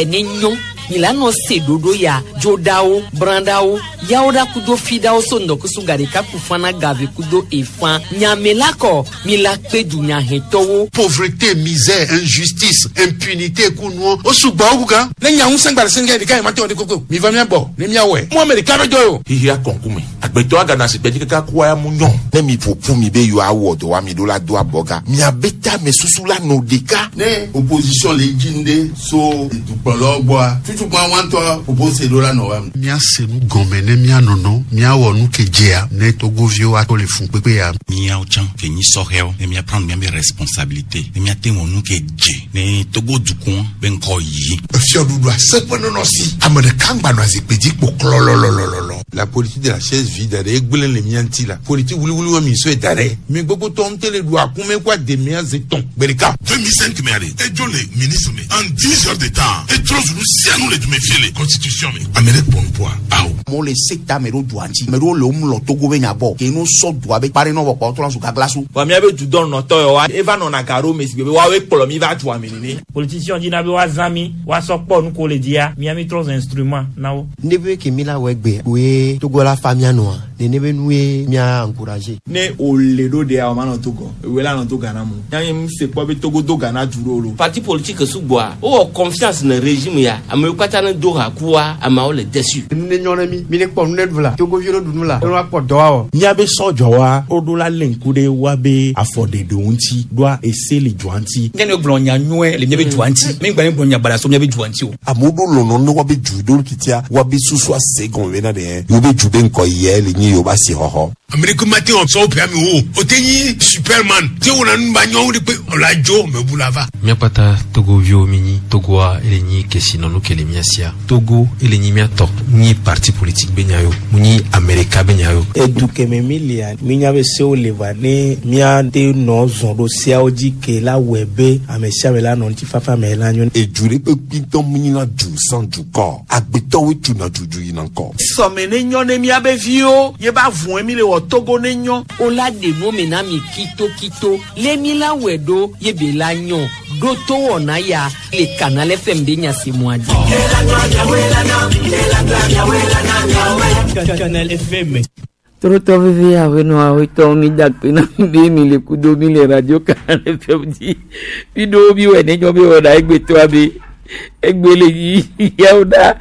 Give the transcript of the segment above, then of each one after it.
Togo ne nyɔ mi la nɔ se ɖoɖo ya dzoɖawo brãɖawo yawo ɖa kudo fiɖawo so ŋdɔkusu gaɖeka ku fana gave kudo efã nyame la kɔ mi la kpe dunyahetɔwo. Pauvreté, misère, injustice, impunité kunuɔ o sugbɔ wo gan. Ne nya ŋusẽ gba le sɛngɛ ɖeka yi ma te wɔ ɖe koko mi va mía gbɔ ne mía wɔe. Mɔ ame ɖeka be dɔ ye o. Xixia kɔnkume agbetɔ agana si gbedzi kaka kua ya mu nyɔ. Ne mi ƒoƒu mi be yewoawɔ dɔ wa mi ɖo la do abɔga miabe tame susu la nɔ ɖeka. Ne opposition le dzi nu ɖe so dukplɔlawo gbɔa tutukpa wa ŋutɔ propose ɖo la nɔ wa. Míase nu gɔme ne míanɔnɔ míawɔ nu ke dzea ne togoviwo ato le fun kpekpe ya. Míawo tsã ke nyi sɔhɛwo ne mía prendre míabe responsabilité ne míate wɔ nu ke dze ne Togo dukɔ be ŋkɔ yi. Efiɔɖuɖu aseƒe nɔnɔ si ame ɖeka ŋgba nɔ azikpui dzi kpo klɔlɔlɔlɔlɔ. La politique de la chaise vide ɖe egblẽ le mía ŋuti la politique wuliwuli wa mi sɔe da ɖe mi gbogbo tɔ ŋutɔ le ɖu akume kó ademea ze tɔn gbe ɖeka. 2005 mɛ ale edzo le ministre me en 10 heures de temps etrɔ zu nu sia nu le dume fie le constitution me ame ɖe kpɔ nuƒoa awo. Amewo le se ta ame ɖewo dua ŋuti ame ɖewo le womlɔ Togo be nya gbɔ ke no sɔ dua be kpa ɖe nɔ vɔ kpɔ wotrɔ zu gaglasu. Vɔ míabe dudɔnɔtɔ yawoa eva nɔna ga ɖo me si gbe be woawoe kplɔ mi va dua me nene. Politicien dina be woazã mi woasɔ kpɔ nu ko le dzia mía mi trɔ zu instrument na wo. Ne be ke mi la wɔ egbe koe Togo la fa mía nɔa nene be nue mía encourager. Ne wòle ɖo ɖea o manɔ Togo ewoe la nɔ to Ghana mo. Nya nye se kpɔ be Togo do Ghana du ɖo lo. Parti politique sugbɔa wowɔ confiance ne régime ya amewo katã ne do ha kua ameawo le déçu. Nu ne nyɔ ne mi mi ne kpɔ nu ne ɖu la Togoviwo ne ɖu nu la ne woakpɔ dɔ awɔ. Míabe sɔdzɔwa woɖo la lé ŋku ɖe woabe afɔɖeɖewo ŋuti ɖoa ese le dua ŋuti. Nye ne gblɔ nya nyuie le míabe dua ŋuti mi gba ne gblɔ nya baɖa so míabe dua ŋuti o. Amewo ɖo lɔlɔ ne woabe du ɖo titia woabe susu ase gɔme bena ɖe yewo be du be ŋkɔ yia le nyi yewo be asixɔxɔ. Amerique ma te wɔ sɔwɔ ƒe amewo o te nyi superman te wɔna nu ba nyɔwo de kpe ɔla dzo mebu la va. Míakpata Togoviwo mi nyi Togoa ele nyi kesinɔnu ke le mía sia. Togo ele nyi mía tɔ. Nyi parti politique be nya yo. Mu nyi Amerika be nya yo. Edu keme mi lia minya be sewo le va ne míate nɔ zɔn ɖo seawo dzi ke la wɔe be ame sia ame la nɔ ŋutifafa me la nyo. Edu ɖe kpe kpitɔ mu nyina du sans dukɔ. Agbetɔwoe tuna dudu yina ŋkɔ. Sɔme ne nyɔ ne míabe viwo ye ba vɔe mi le wɔ Togo ne nyɔ. O la ɖe nu me na mi kitokito le mi la wɔe ɖo ye be la nyɔ ɖo to wɔna ya le Canal FM be nya si mua dzi. Canal FM. Torotɔ veve awenɔ awetɔ mi da kpe na mi be mi le kudo mi le radio Canal FM dzi. Mi ɖo mi wɔ ne nyɔ be wɔna egbetɔa be egbe le yi yawo ɖa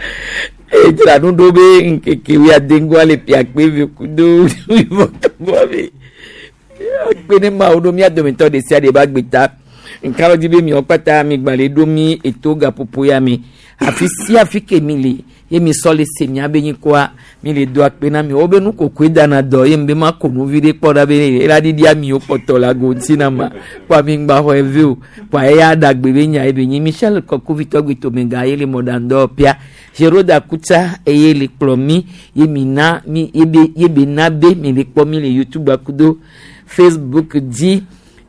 edzra nu ɖo be ŋkeke wuiadeŋgɔa le piakpe ve kudo wuivɔtɔŋgɔa be akpe ne mawo ɖo mía dometɔ ɖe sia ɖe ba gbeta nka lɔ dzi be miawo kpata mi gba le ɖo mi eto gaƒoƒo ya me afi sia afi ke mi le ye mi sɔ le se mía be nyikɔa mi le do akpe na mi wo be nukokoe dana dɔ ye mi be ma ko nu vi ɖe kpɔ ɖa be ela ɖiɖi amiwo kpɔtɔ le ago ŋuti na ma kpɔ mi ŋgba xɔ eve o kpɔ eya ɖagbe be nya ye be nyi Michel Kɔkuvitɔ gbetomega ye le mɔɖaŋdɔ pia Géroda Kutsa eye le kplɔ mi ye mi na mi ye be ye be na be mi le kpɔ mi le YouTube akudo Facebook dzi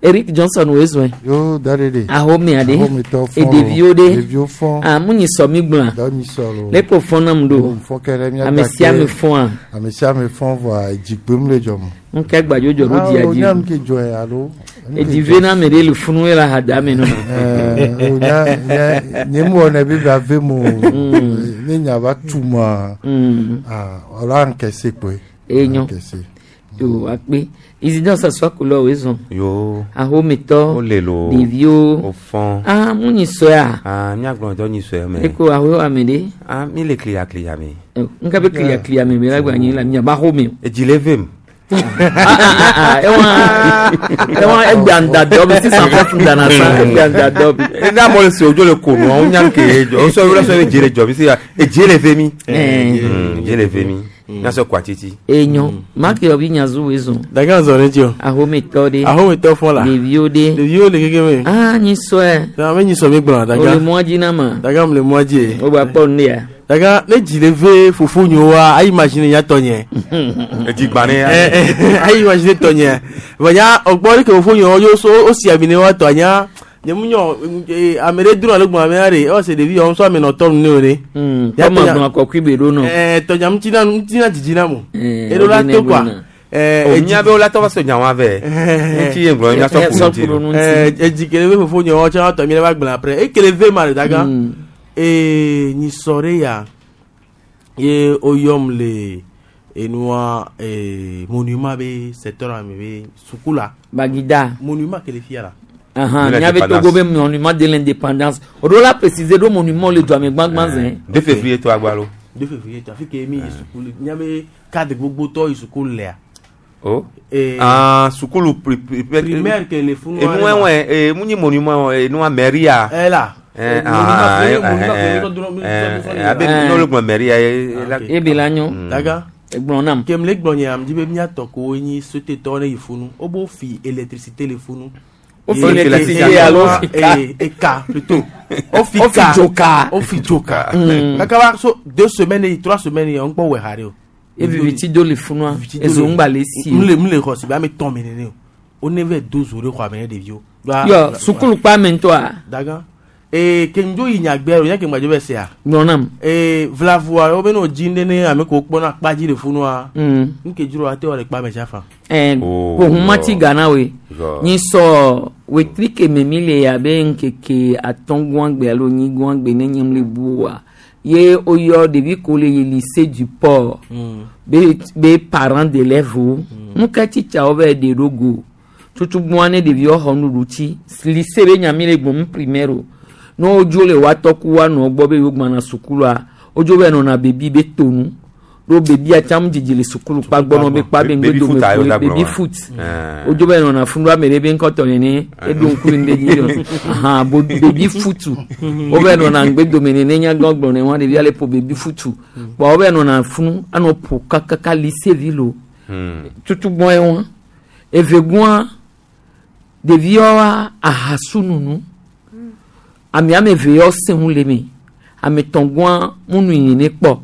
Eric Johnson wo zɔn. Yo da de de. Ahome aɖe. Ahometɔ fɔn. Eɖeviwo ɖe. Ɖeviwo fɔn. Ah mu nyi sɔ mi gblɔa. Dɔ nyi sɔ lo. Ne ko fɔn nam ɖo. Fɔn kɛ ɖe mía Ame sia ame fɔn a. Ame sia ame fɔn vɔa edzi kpem le dzɔm. Ŋkɛ gbadzo dzɔ ɖo dzia dzi. dzi. Ah o nya nu ke dzɔe alo. Edzi ve na ame ɖe le funu ye le ahada me nɔ. Ɛɛ o nya nya nye mu wɔnɛ be ba ve mo. Ne nya va tu ma. Ah ɔla ŋkɛse kpoe. Enyo. Yo akpe. Isidore Sasua kulɔ wo zɔn. Yo. Ahometɔ. O le lo. Ɖeviwo. O fɔn. Ah mu nyi sɔa. Ah míagblɔ dɔ nyi sɔe me. Eko aho ame ɖe. Ah mi le kliya kliya me. Nka be kliya kliya me me la gba nyi la miaba xɔ me. Edzi le vem. Ewa egbe anda dɔ bi sisan fɛn dana sa egbe anda dɔ bi. Ne amewo le se odzo le ko nua wo nya ke dzɔ wo sɔ wo sɔ be dzi le dzɔ bi se ya edzi le ve mi. Dzi le ve mi. Míasɔ kɔ atiti. Enyo maki yɔ bi nyazu wo zɔn. Daga zɔn ne dzi o. Ahometɔ ɖe. Ahometɔ fɔn la. Ɖeviwo ɖe. Ɖeviwo le keke me. Ah nyi sɔe. Na me nyi sɔ mi gblɔ daga. O le mɔ dzi na ma. Daga mu le mɔ dzi ye. O gba kpɔ nu ya. Daga ne dzi le ve fofo nyowa ayi imagine nya tɔ nye. Edzi gba ne ya. Ayi imagine tɔ nye. Vɔ nya ɔgbɔ ɖe ke fofo nyowa yo so o si ami ne wa tɔ nya. Nye mu nyɔ ame ɖe dro alo gbɔn ame aɖe ewɔ se ɖevi yɔ ŋusɔ ame nɔ tɔ nu ne o ne. Kɔmɔ gbɔn akɔkui be ɖo nɔ. Tɔnya ŋuti na ŋuti na dzidzi na mo. Eɖo la to kɔa. O nya be wola tɔ va so nya wa vɛ. Ŋuti ye ŋlɔ nya sɔ ku ŋuti. Edzi kele be fofo nyɔ tsã tɔ mi le va gblẽ après ekele ve ma le daga. Ee nyisɔ ɖe ya ye woyɔm le enua ee monument be secteur ame be suku la. Bagida. Monument ke le fia la. Ahan, miabe Togo be monument de l'indépendance. O ɖo la préciser ɖo monument le dua me gbãgbã zẽ. 2 février to agbalo. 2 février to afi ke mi yi suku le miabe cadre gbogbo tɔ yi suku lea. Oh. Eh, Ah, sukulu primaire ke le funu. Enu wɛwɛ ee mu nyi monument enua mairie. Eh la. Eh, Monument ah, ke- eh, monument ke eh, mi tɔ dro- mi tɔ eh, dro- eh, abe n'olu gblɔ mairie ye. la- Ebe la nyo. Daga. Egblɔ nam. Kem le gblɔ nye am di be miatɔ ko nyi sotetɔ ne yi funu. Wobo fi électricité le funu. Wo fi électricité alo fi ka. Eka plutôt. O fi Wo fi ka. dzoka. O fi dzoka. Mm. Kaka wa so deux semaines yi trois semaines yi on kpɔ wɛ ha de o. Eviviti do le funua. Ezo ŋgba le si. o. Mle mle xɔ si be ame tɔn mi nene o. O ne vɛ do zo ɖe xɔ ame ne ɖeviwo. Yɔ sukulu kpa me ŋutɔa. Daga. Ee kenjo yi nyagbe o nya ke ŋgbadze bɛ sea. Gblɔ nam. Ee vlavua wo be ne dzi ne ne ame ko kpɔna akpa dzi le funua. Mm. Nke dzro ate wɔ le kpa me tsafa. Eh, Oh, kohumati God. Ghana we. God. Nyi sɔ wetri keme mi le abe ŋkeke atɔ̃ gãgbe alo nyi gãgbe ne nye le bu wa. Ye woyɔ ɖevi ko le yi lycée du port. Be be parents d'élèves wo. Nu ke titsawo va yi ɖe ɖo go. Tutugbɔa ne ɖeviwo xɔ nuɖuɖu tsi. Lycée be nya mi le gblɔm primaire o. Ne wodzo le woatɔ ku woanɔ gbɔ be yewo gbana sukulua, wodzo va nɔna bebi be tonu. Ɖo bebia tsã mu dzidzi le sukulu kpa gbɔ nɔ be kpa be Baby ŋgbe foot dome ayo ko da gblɔ baby wa. foot. Eh. Wodzo va nɔna funu ame ɖe be ŋkɔtɔ nene eɖo ŋku ɖe dzi yɔ. Ahan bo baby foot. Wova nɔna ŋgbe dome nene nyagã gblɔ ne wa ɖevia le ƒo baby foot. Kpɔ wova nɔna funu anɔ ƒo kakaka lycée vi lo. Tutugbɔn ye wa. Evegbɔa ɖeviwoa ahasu nunu. Ame ame eve yawo sẽ ŋu le me. Ame tɔ̃gɔa mu nu yi ne kpɔ.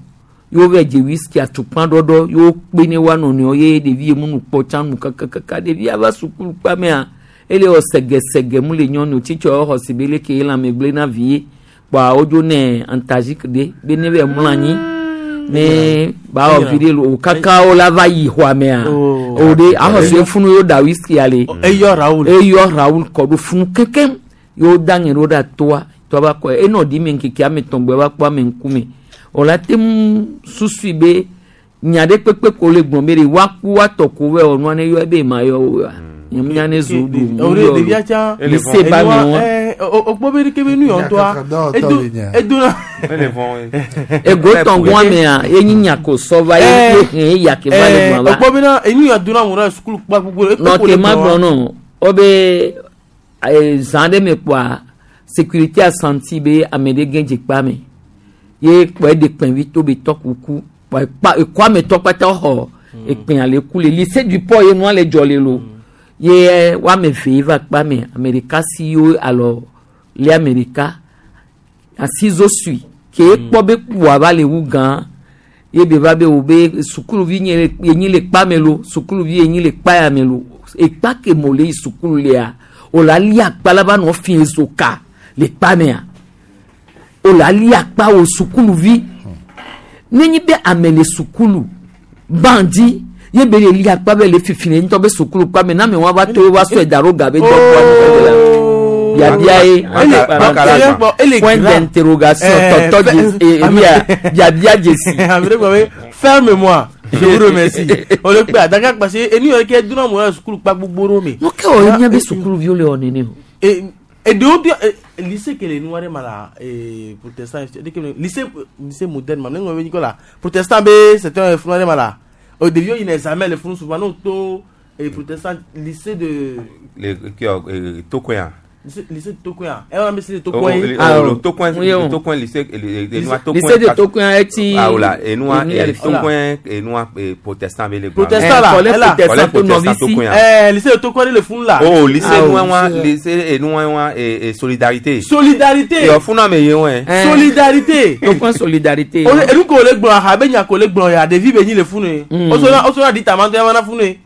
Yewo va dze whisky atukpa ɖɔɖɔ yewo kpe ne woa nɔnɔewo ye ɖevi ye mu nu kpɔ tsã nu kakakaka ɖevia va sukulu kpa mea ele wɔ sɛgɛsɛgɛ mu le nyɔnu tsitsɔ xɔ si be leke ye lãme gblẽ na vi ye kpɔa wodzo ne antalgique ɖe be ne va mlɔ anyi ne ba wɔ vi ɖe lo o kaka wo la va yi xɔa mea o ɖe axɔ si funu yewo da whisky ale Eyɔ Raoul. eyɔ Raoul kɔ ɖo funu kekem yewo da ŋe ɖo ɖe toa toa va kɔ enɔ ɖi me ŋkeke ame tɔ̃ gbɔ va kpɔ ame ŋkume o la te ŋu susui be nya ɖe kpekpe ko le gblɔm be ɖe woaku woatɔ ko vɛ wɔ nua ne yɔ ebe ma yɔ o wa nye mu nya ne zo ɖu O de ɖevia tsã. lycée ba me wa O kpɔ be ɖeke be nu yɔ ŋutɔa. Edo edo na. ego tɔngɔa mea ye nyi nya ko sɔ va ye ye hɛn ye ya ke va le gblɔ O va kpɔ bena enu yɔ dona mu ɖe sukulu kpa gbogbo. nɔ ke ma gblɔ nɔ wo be eh, zã ɖe me kpɔa sécurité a senti be ame ɖe gẽ dze kpa me ye kpɔ eɖe kpɛnvi to be tɔ kuku kpɔ ekpa ekɔ ame tɔ kpata xɔ ekpɛn ale ku le lycée du port ye nua le dzɔ le lo ye wo ame eve ye va kpa me ame ɖeka si yewo alɔ le ame ɖeka asizo sui ke ekpɔ be kpoa va le wu gã ye be va be wo be sukuluvi nye le yenyi le kpa me lo sukuluvi yenyi le kpa ya me lo ekpa ke mo le yi sukulu lea o la li akpa la va nɔ fi ezo ka le kpa mea o la li akpa wo sukuluvi nenyi be ame le sukulu bandi ye be le li akpa be le fifi le ŋutɔ be sukulu kpa me na ame wa va to wo va sɔe da ɖo ga be dɔ kpɔ la biabia ye point d'interrogation tɔtɔ dze ebia biabia dzesi. Ame ɖe gblɔ be ferme-moi. Je vous remercie. O le kpe adaka parce que enu yɔ ke dona mu ɖe sukulu kpa gbogbo ɖo me. Nu ke wɔ ye mía be sukuluviwo le wɔ nene o. Eɖewo bi lycée ke le nua ɖe ma la protestant ɖeke me lycée lycée moderne ma ne ŋlɔ be nyikɔ la protestant be c'est un funu ɖe ma la o ɖeviwo yina examen le funu souvent n'o to protestant lycée de Le qui Tokoin. lycée lycée de Tokoin ɛ wɔn bɛ lycée de Oh, Tokoin ye. oh, le Tokoin, le Tokoin lycée, le noir Tokoin. Lycée de Tokoin eti. Ah, voilà, et noir, Enu et le fi. Tokoin, et noir, et protestant, mais les Protestant là, Collège elle là. protestant Collège to protestant novice. Tokoin. Lycée de Tokoin le funu la. Oh, lycée Ah, noir, oh. lycée et noir, et solidarité. Solidarité. Et au fond, non, mais ouais. Solidarité. Tokoin solidarité. O enu ko le gblɔ aha be nya ko le gblɔ ya ɖevi be nyi le funu ye. O sɔrɔ o sɔrɔ di tama tɔ ya mana funu ye.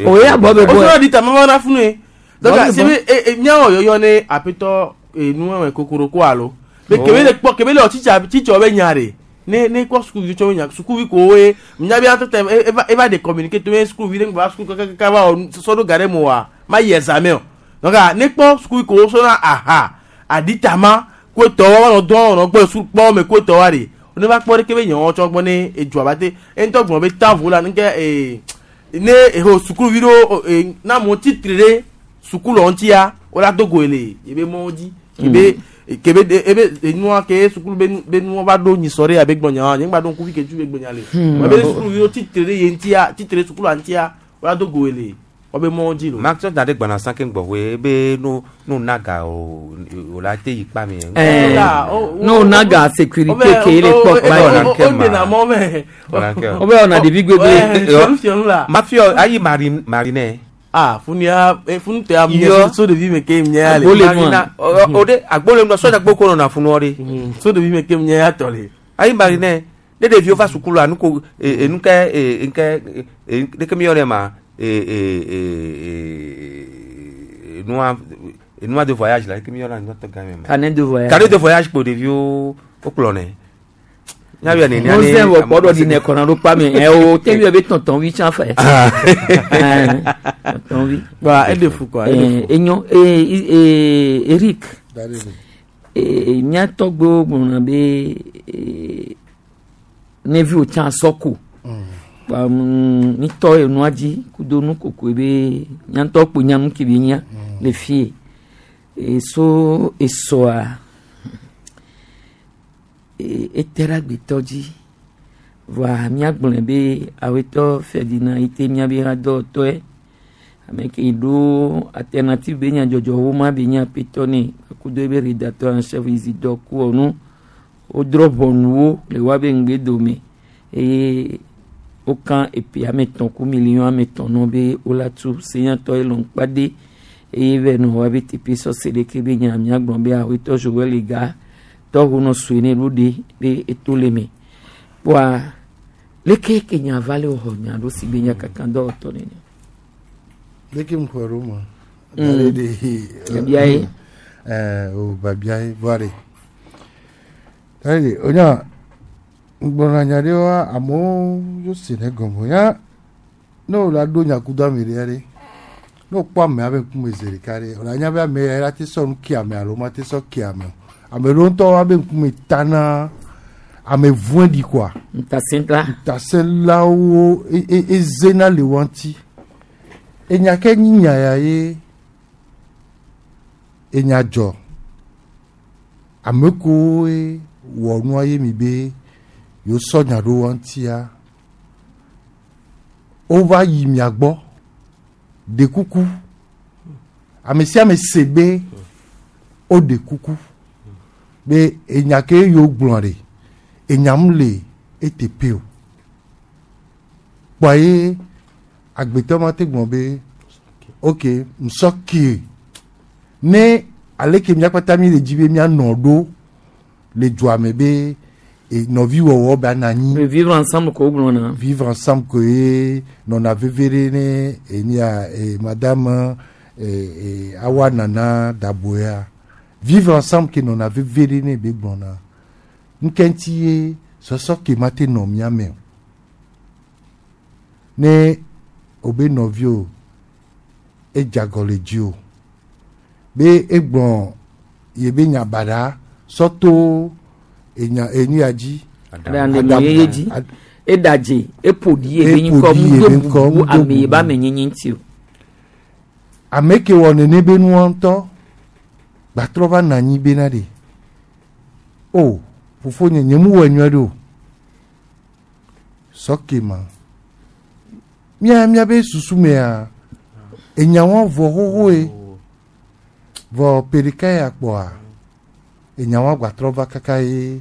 O ye abɔ be O bɔ. sɔrɔ di tama mana funu ye. Donc Bɔ be se bɔ. be e miawɔ yɔyɔ ne aƒetɔ enu ɛwɛ kokoroko alo. Be Oh. kebe le kpɔ kebe le wɔ tsitsa tsitsɔ be nya de. Ne ne kpɔ sukuvi tsɔ be nya sukuvi ko ye nya be atɔ tɛ eva eva de communiquer to ye sukuvi ɖe ŋgba suku kakaka va wɔ sɔ ɖo ga ɖe mo wa ma yi examen o. Donc ah, ne kpɔ sukuvi ko sɔna aha aditama Ko etɔ wa nɔ dɔn nɔ gbɔ su kpɔ me ko etɔ wa de. Ne va kpɔ ɖeke be nyawo tsɔ gbɔ ne edzua ba te. Eŋutɔ gblɔ be tavu la nke ee ne eho sukuluvi ɖewo ee na amewo tsitre ɖe sukulɔ ŋutia wola do goe le yebe mɔwo dzi. Kebe kebe de ebe enua ke sukulu be nu be nuwo va ɖo nyisɔ ɖe abe gbɔnya wa nye ŋgba ɖo ŋkuvi ke tu be gbɔnya le. Ebe sukuluviwo tsitre ɖe ye ŋutia tsitre ɖe sukulua ŋutia wola do goe le wobe mɔwo dzi lo. Maxwell da ɖe gbana sã ke ŋgbɔ hoe ebe no no naga o o la te yi kpa mi. Eh, no naga sécurité ke le kpɔ kpa yi. O dena mɔ mɛ. Wo be wɔna ɖevi gbegbe. Mafia ayi mari marine. Ah funia funu tɛ am nye so ɖevi me ke nye ya le. Marina o de agbole nua sɔdza gboko nɔna funua de. So ɖevi me ke nye ya tɔ le. Ayi marine ne ɖeviwo va sukulua nuko enuke nke ɖeke mi yɔ ne ma nua nua de voyage la ɖeke mi yɔ na nua tɔ gã me ma. Carnet de voyage. Carnet de voyage kpo ɖeviwo wokplɔ nɛ. Nyawia nenia ne. Mose wɔ kpɔ ɖɔ di ne kɔnɔ ɖo kpa mi ɛ o te yɔ be tɔntɔn wi tsã fɛ. Tɔntɔn wi. Wa e de fu quoi. Enyo ee Eric. Ee miatɔgbewo gblɔna be ne viwo tsã sɔko. Mitɔ enua dzi kudo nukokoe be miatɔ kpo nyanu ke be nya le fie. Eso esɔa ete ɖe agbetɔ dzi voa míagblɔe be awetɔ Ferdinand yi te míabe hadɔwɔtɔe ame ke ɖo alternative be nyadzɔdzɔwo ma be nye aƒetɔ nɛ kudo ebe rédacteur en chef Isidore Kuonu wodrɔ̃ ʋɔnuwo le woabe ŋgbedome eye wokã epe ame etɔ̃ ku million ame etɔ̃ nɔ be wola tu senyatɔ ye lɔn kpade eye vɛ nɔ woabe teƒe sɔse ɖeke be nya míagblɔ be awetɔ Joël Ega tɔwo nɔ sue ne ɖo ɖe be eto le me kpoa leke ke nya va le xɔ nya ɖo si be nya kaka dɔwɔtɔ nene. Leke mu xɔ ɖo ma. Babia ye. Ɛɛ o babia ye voa de. Dari o nya ŋgbɔna nya ɖe wa amewo yo se ne gɔme ya ne o la ɖo nyakudo ame ɖe ɖe ne o kpɔ amea be ŋkume zi ɖeka ɖe o la nya be ame ya la te sɔ nu ke ame alo ma te sɔ ke ame o. Ame ɖewo ŋutɔ woabe ŋkume tana ame vɔ̃e ɖi koa. Ŋutasẽla. Ŋutasẽlawo ezena le wo ŋuti. Enya ke nyi nya ya ye enya dzɔ. Ame kowoe wɔ nua ye mi be yewo sɔ nya ɖo wo ŋutia. Wova yi mia gbɔ ɖe kuku. Ame sia ame se be woɖe kuku. Be enya ke yewo gblɔ ɖe enyam le eteƒe o. Kpɔa ye agbetɔ ma te gblɔ be ok ŋsɔ ke ne aleke míakpata mi le dzi be míanɔ ɖo le dua me be nɔviwɔwɔ be anɔ anyi. Vivre ensemble ko gblɔna. Vivre ensemble ko ye nɔna veve ɖe ne enia madame awa nana daboya. Vivre ensemble ke nɔna veve ɖe ne be gblɔna. Ŋke ŋuti ye sɔsɔ ke ma te nɔ mía me o. Ne o be nɔvi o edze agɔ le dzi o be egblɔ ye be nya baɖa sɔ to enya enu ya dzi. Adamu yeye dzi eɖadze eƒo ɖi ye be ŋkɔ mu do bubu ame ye be amenyenye ŋuti o. Ame ke wɔ nene be nua ŋutɔ gbatrɔ va nɔ anyi bena ɖe o fofonye nye mu wɔ nyuie ɖe o sɔ ke ma mía míabe susu mea enyawo vɔ xoxoe vɔ ƒe ɖeka ya kpɔa enyawo gbatrɔ va kaka ye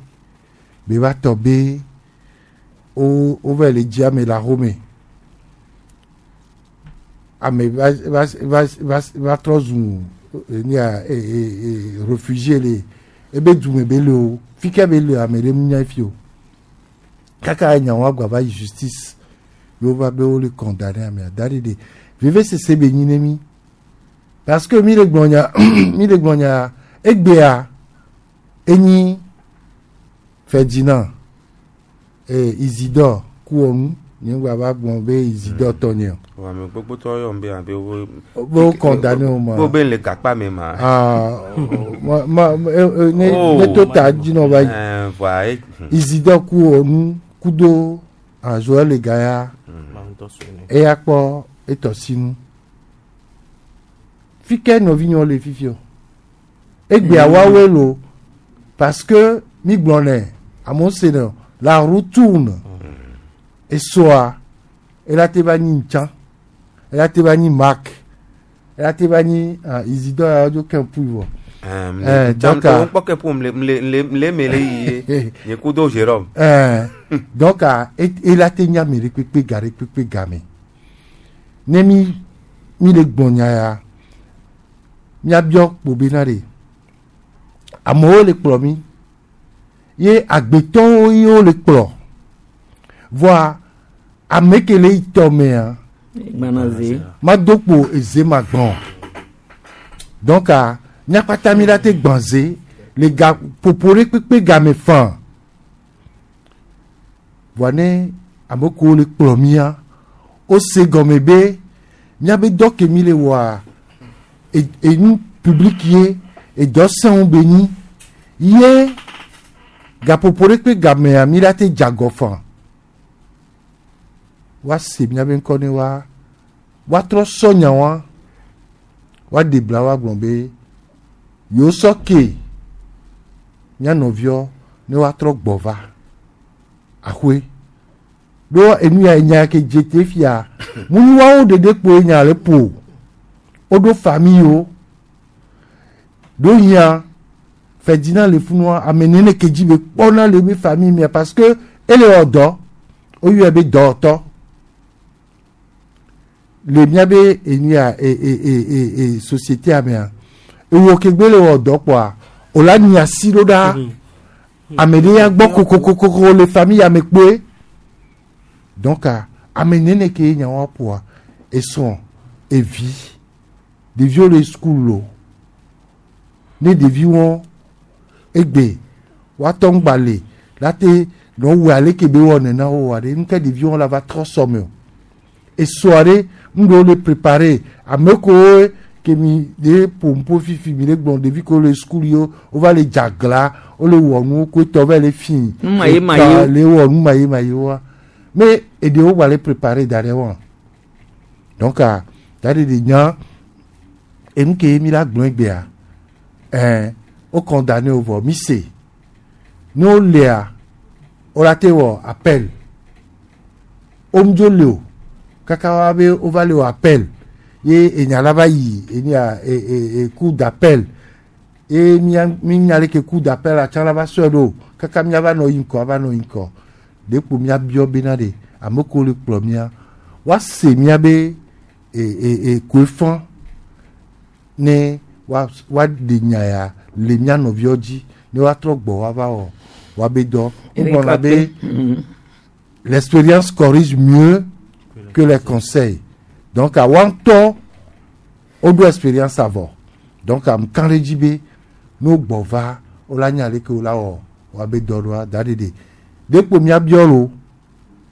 be va tɔ be wo wova le dzi ame le axome ame va va va va va trɔ zu enia e e e réfugié le ebe dume be le o fi ke be le ame ɖe nya fi o kaka enyawo agba va yi justice yewo va be wo le condamné amea da ɖe ɖe veve sese be nyi ne mi parce que mi le gblɔ nya mi le gblɔ nya egbea enyi Ferdinand Isidore Kuonu. Nye ŋgba va gblɔ be Isidore tɔ nye o. Wò ame gbogbo tɔ yɔ be abe wo. Be wo condamné wo ma. Wo be le gakpa me ma. Ah, ma ma ne Oh. ne to ta dzi nɔ va yi. Eh, voa e. Isidore ku onu kudo ah, Joël Legaya. Eya kpɔ etɔ sinu. Fi ke nɔvinyewo le fifi o. Egbea woawoe lo parce que mi gblɔ nɛ amewo se nɛ o, la roue tourne. Esɔa ela te va nyi ŋtsã, ela te va nyi Marc, ela te va nyi ah, Isidore ya dzo ke ƒui vɔ. Eh, donc, ah, kpɔ ke ƒom le le le me le yi ye nye kudo Jérôme. Eh, donc ah, ela te nya ame ɖe kpekpe ga ɖe kpekpe game. Ne mi mi le gbɔ nya ya, miabiɔ kpo bena ɖe amewo le kplɔ mi ye agbetɔwo ye wo le kplɔ. Vɔa ame ke le yi tɔ mea, Gbana ze. mado kpo eze ma gbɔn. Donc ah, miakpata mi la te gbɔn ze le ga ƒoƒo ɖe kpekpe game fan. Vɔa ne ame kewo le kplɔ mia, wose gɔme be miabe dɔ ke mi le wɔa, enu public ye, edɔ sẽŋu be nyi ye gaƒoƒo ɖe kpe gamea mi la te dze agɔ fan. Woase miabe ŋkɔ ne wa woatrɔ sɔ nya wa woaɖe bla woagblɔ be yewo sɔ ke mía nɔviwo ne woatrɔ gbɔ va axɔe. Ɖo enu ya enya ke dze te fia munu woawo ɖeɖe kpoe nya le ƒo. Woɖo famille wo. Ɖo hiã Ferdinand le funua ame nene ke dzi be kpɔna le be famille mia parce que ele wɔ dɔ woyɔe be dɔwɔtɔ le miabe enu ya e e e e e société mea ewɔ kegbe le wɔ dɔ kpɔa o la nyi asi ɖo ɖa ame ɖe ya gbɔ kokokokoko le famille ame kpoe donc ah, ame nene ke nya wa ƒoa esrɔ̃ evi ɖeviwo le school o ne ɖeviwo egbe woatɔ ŋgba le la te nɔ wɔ ale ke be wɔ nena wo wa ɖe nuke ɖeviwo la va trɔ sɔme o esɔa ɖe nu ɖewo le préparé ame kewo ke mi ɖe ƒo fifi mi le gblɔ ɖevi kewo le school yiwo wova le dzagla wole wɔ nuwo ko etɔ va le fi Nu maye maye. le wɔ nu maye maye wa mais eɖewo gba le préparé da ɖe wa donc ah, da ɖe ɖe nya enu ke mi la gblɔ egbea ɛn wo condamné wo vɔ mi se ne wo lea wo la te wɔ appel wo ŋdzo le o kaka wa be wova le wɔ appel ye enya la va yi enya e e e cour d'appel ye mia mi nya le ke cour d'appel atsã la va sɔe ɖo kaka mia va nɔ yi ŋkɔ ava nɔ yi ŋkɔ ɖe kpo mia biɔ bena ɖe ame kewo le kplɔ mia woase mia be e e e koe fã ne wa woaɖe nya ya le mia nɔviwo dzi ne woatrɔ gbɔ woava wɔ woabe dɔ wogblɔna be l'expérience corrige mieux que les conseils donc awa ŋutɔ woɖo expérience avɔ donc am kan ɖe dzi be ne wogbɔ va wola nya leke wola wɔ woabe dɔ ɖoa da ɖeɖe ɖe kpo miabiɔ lo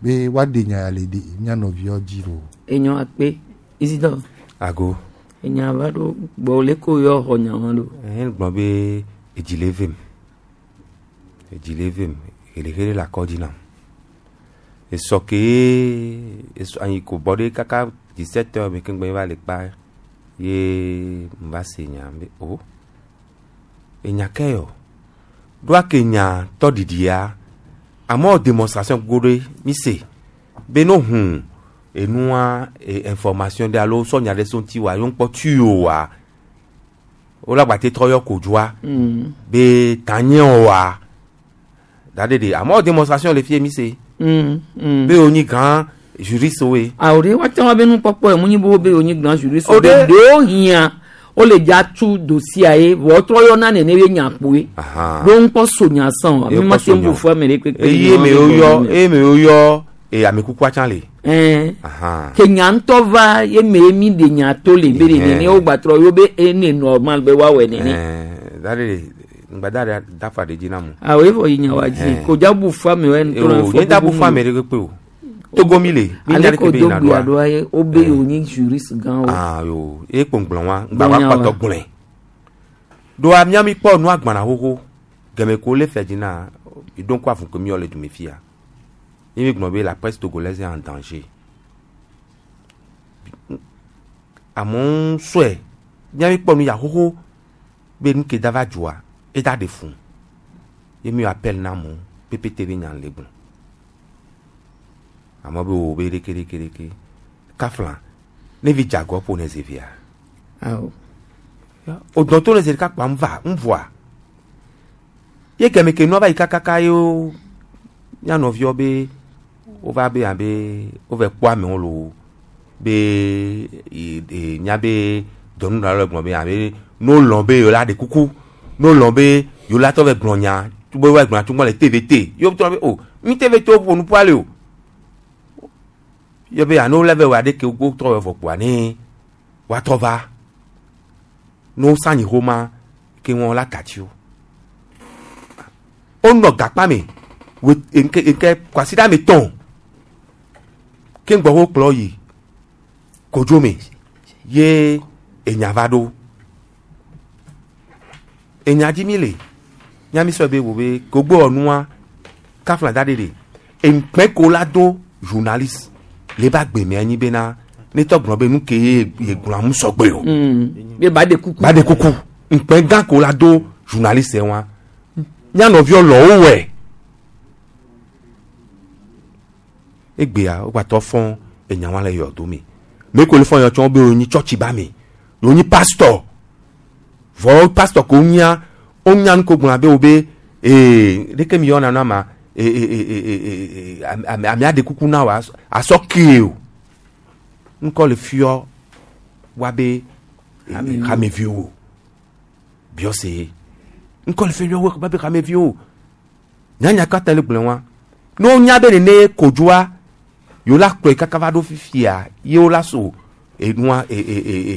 be woaɖe nya ya le ɖe mia nɔviwo dzi lo. Enyo akpe Isidore. Ago. Enya va ɖo gbɔ le ko yɔ xɔ nya ma ɖo. Ɛhɛn gblɔ be edzi le vem. Edzi le vem. Xelexele le akɔ dzi nam. Esɔ ke esɔ anyi ko bɔ ɖe kaka 17 heures me keŋgbe va le kpa ye m va se nya be o enya ke yɔ. Ɖoa ke nya tɔ ɖiɖia amewo démonstration go ɖe mi se be no hun enua e, information ɖe alo sɔ nya ɖe so ŋuti wa yewo ŋkpɔ tu o wa wola gba te trɔ yɔ kodzoa be tanye o wa da ɖe ɖe amewo démonstration le fie mi se be wonyi grand juriste woe. Awo ɖe woate ŋu abe nukpɔkpɔ ye mu nyi be wo be wonyi grand juriste O be ɖe- ɖewo hiã wole dza tu dossier ye vɔ wotrɔ yɔna nene be nya kpoe. Ɖo ŋkpɔ so nya sɔn o Ye mi ma kpɔ te so ŋu nya. bu fɔ ame ɖe kpekpe. eye me woyɔ eye me woyɔ e amekukua tsã le. Ɛn Ahan. ke nya ŋutɔ va ye me mi ɖe nya to le be ɖe nene wo gbatrɔ yo be ene normal be woawɔe nene. Ɛn da ɖe ɖe ŋgbada ɖe dafa ɖe dzi na mu. Awo evɔ yi nya wa dzi Ɛn. ko dza bu fɔ ame wɛ O nye da bu fɔ ame ɖe kpekpe o. Togo mi le mi nya Ale ɖeke ko be do yina gbea ɖoa ɖoa ye wobe yewo nyi juriste gãwo. Ah yo ye kpo ŋgblɔ wa ŋgba wa Gblɔ nya wa. kpɔtɔ gblɔe ɖoa mía mi kpɔ nua gbana xoxo gɛmɛ ko le fɛ dzina eɖo ŋku avu ke mi yɔ le dume fia ye mi gblɔ be la presse togolaise est en danger amewo sɔe mía mi kpɔ nu ya xoxo be nu ke da va dzoa eda ɖe fun ye mi appel na amewo pépé be nya le gblɔ amewo be wo be ɖeke ɖeke ɖeke kafla ne vi dze agɔ ƒo ne zevia Awo. o dɔn to ne zi ɖeka kpa ŋva ŋvɔa ye gɛmɛ ke nua va yi kakaka ye wo mía nɔviwo be wova be abe wova kpɔ amewo lo be e e nya be dɔnunɔla le gblɔ be abe no lɔn be yewo la ɖe kuku no lɔn be yewo la tɔ vɛ gblɔ nya be wa gblɔ tso le TVT yewo tɔ be o mi TVT wo ƒo nu ƒu ale o ye be ano lɛ vɛ wa ɖe ke wo trɔ vɛ vɔ kpoa ne woatrɔ va ne wosanyi xoma ke wɔn la tati wo wonɔ gakpa me we nke nke kwasiɖa me tɔn ke ŋgbɔ wo kplɔ yi kodzo me ye enya va ɖo enya dzi mi le miami sɔ be wo be kogbo ɔnua kafla da ɖe ɖe eŋkpɛ ko la do journaliste le ba gbe me anyi bena ne tɔ gblɔ be nu ke ye ye gblɔ amu sɔgbe o. Be ba de kuku. Ba de kuku ŋkpɛ gã ko la do journaliste wa mía nɔviwo lɔ wo wɛ egbea wogbatɔ fɔn enya wa le yɔ do me me ko le fɔn yɔ tsɔ be wonyi tsɔtsi ba me wonyi pastor vɔ pastor ko nya wonya nu ko gblɔna be wo be ee ɖeke mi yɔna na ma ee ee ee ee ame amea ɖe kuku na wa asɔ kee o ŋkɔ le fiɔ wa be hameviwo biɔse ŋkɔ le fiɔ wa be hameviwo nyanya katã le gblẽ wa ne wonya be nene kodzoa yewo la kplɔe kaka va ɖo fifia yewo la so enua e e e e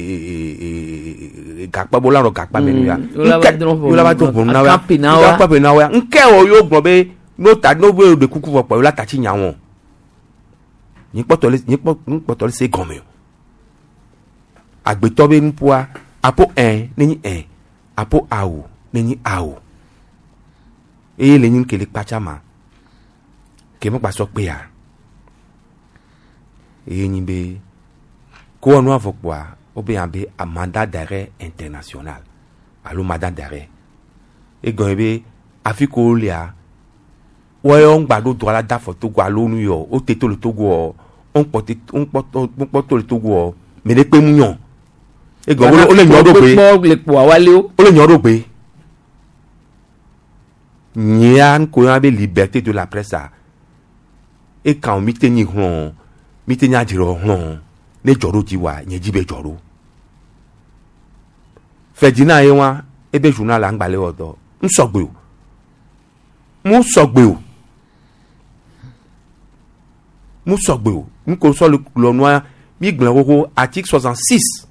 e e gakpa bo la nɔ gakpa me nu ya Yewo la va drɔ̃ ʋɔnu. yewo la va drɔ̃ ʋɔnu na wa Akampi na wa. akampi na wa nke wo yewo gblɔ be n'o ta n'o be ɖe kuku vɔ kpɔ yewo la ta tsi nya wɔn nyi kpɔtɔ le nyi kpɔ nyi kpɔtɔ le se gɔme o agbetɔ be nuƒoa apo ɛ ne nyi ɛ apo awo ne nyi awo eye le nyi kele kpatsa ma ke me kpasɔ kpea eye nyi be ko wɔnu avɔ kpoa wobe yan be a mandat d'arrêt international alo mandat d'arrêt egɔme be afi ko wolia wɔyɔ ŋgba ɖo dɔ la da fɔ Togo alo nu yɔ wote to le Togo wɔ ŋkpɔ te ŋkpɔ ŋkpɔ to le Togo wɔ me ɖe kpe mu nyɔ egɔme wole wole nyɔ ɖo gbe Kpɔ le kpoa wale wo. wole nyɔ ɖo gbe nyea ŋko yɔna be liberté de la presse a ekan mi te nyi hlɔn mi te nya dzrɔ hlɔn ne dzɔ ɖo dzi wa nye dzi be dzɔ ɖo Ferdinand ye wa ebe journal la ŋgba le wɔ dɔ ŋsɔgbe o mu sɔgbe o mu sɔgbe o ŋko sɔ le lɔ nua mi gblẽ xoxo article 66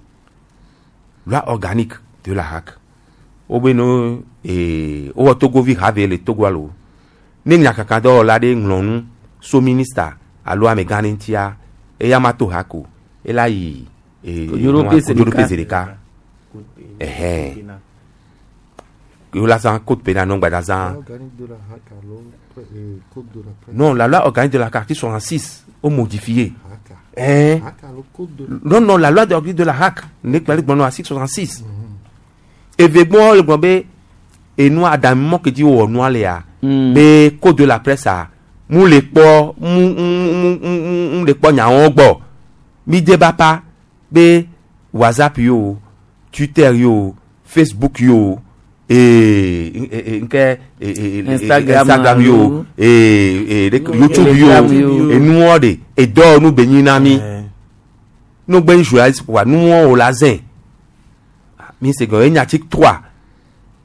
loi organique de la HAC wobe no ee wowɔ togovi have le Togo alo ne nyakaka dɔwɔla ɖe ŋlɔ nu so minista alo amegã ɖe ŋutia eya ma to HAC o ela yi ee Kodjoɖoƒe zi kodjoɖoƒe ɖeka. zi ɖeka ɛhɛn yewo la zã code pénal non gbada zã Organique de la HAC alo code de la presse. non la loi organique de la article 66 au modifié hein HAC alo code de non non la loi organique de la HAC ne kpali gbɔnɔ article 66 eve gbɔ le gbɔ be enua adamimɔ ke dzi wowɔ nua lea be code de la presse a mu le kpɔ mu mu mu mu mu le kpɔ nyawo gbɔ mi de ba pa be whatsapp yi o twitter yi o facebook yi o ee ee nke ee ee Instagram instagram yi o alo. ee ee youtube yi Telegram yi o. o enuwɔ de edɔ nu be nyi na mi nu gbe journaliste wa nuwɔ o la zɛn mi se gɔn enye article 3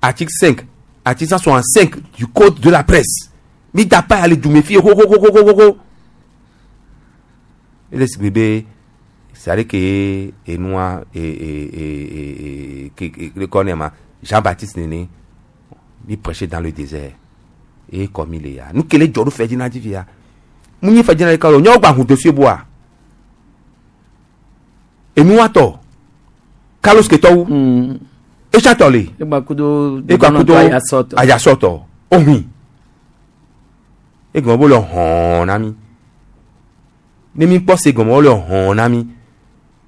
article 5 article 165 du code de la presse mi da pa ale dume fi xoxoxoxoxo ele si be c'est à dire que enua e e e e ke ke le kɔ ne ma Jean Baptiste nene mi prêcher dans le désert et comme il est ya nu kele dzɔ ɖo fɛ dzi na dzi fia Mu nyi fɛdzina ɖeka lo nyawo gba hu dossier boa. Enuwatɔ Carlos Ketɔwu. Etsatɔ le. Egba kudo Egba kudo ayasɔtɔ. Ayasɔtɔ. Ohui. Egɔme bo le hɔn na mi. Ne mi kpɔ se gɔme wo le hɔn na mi.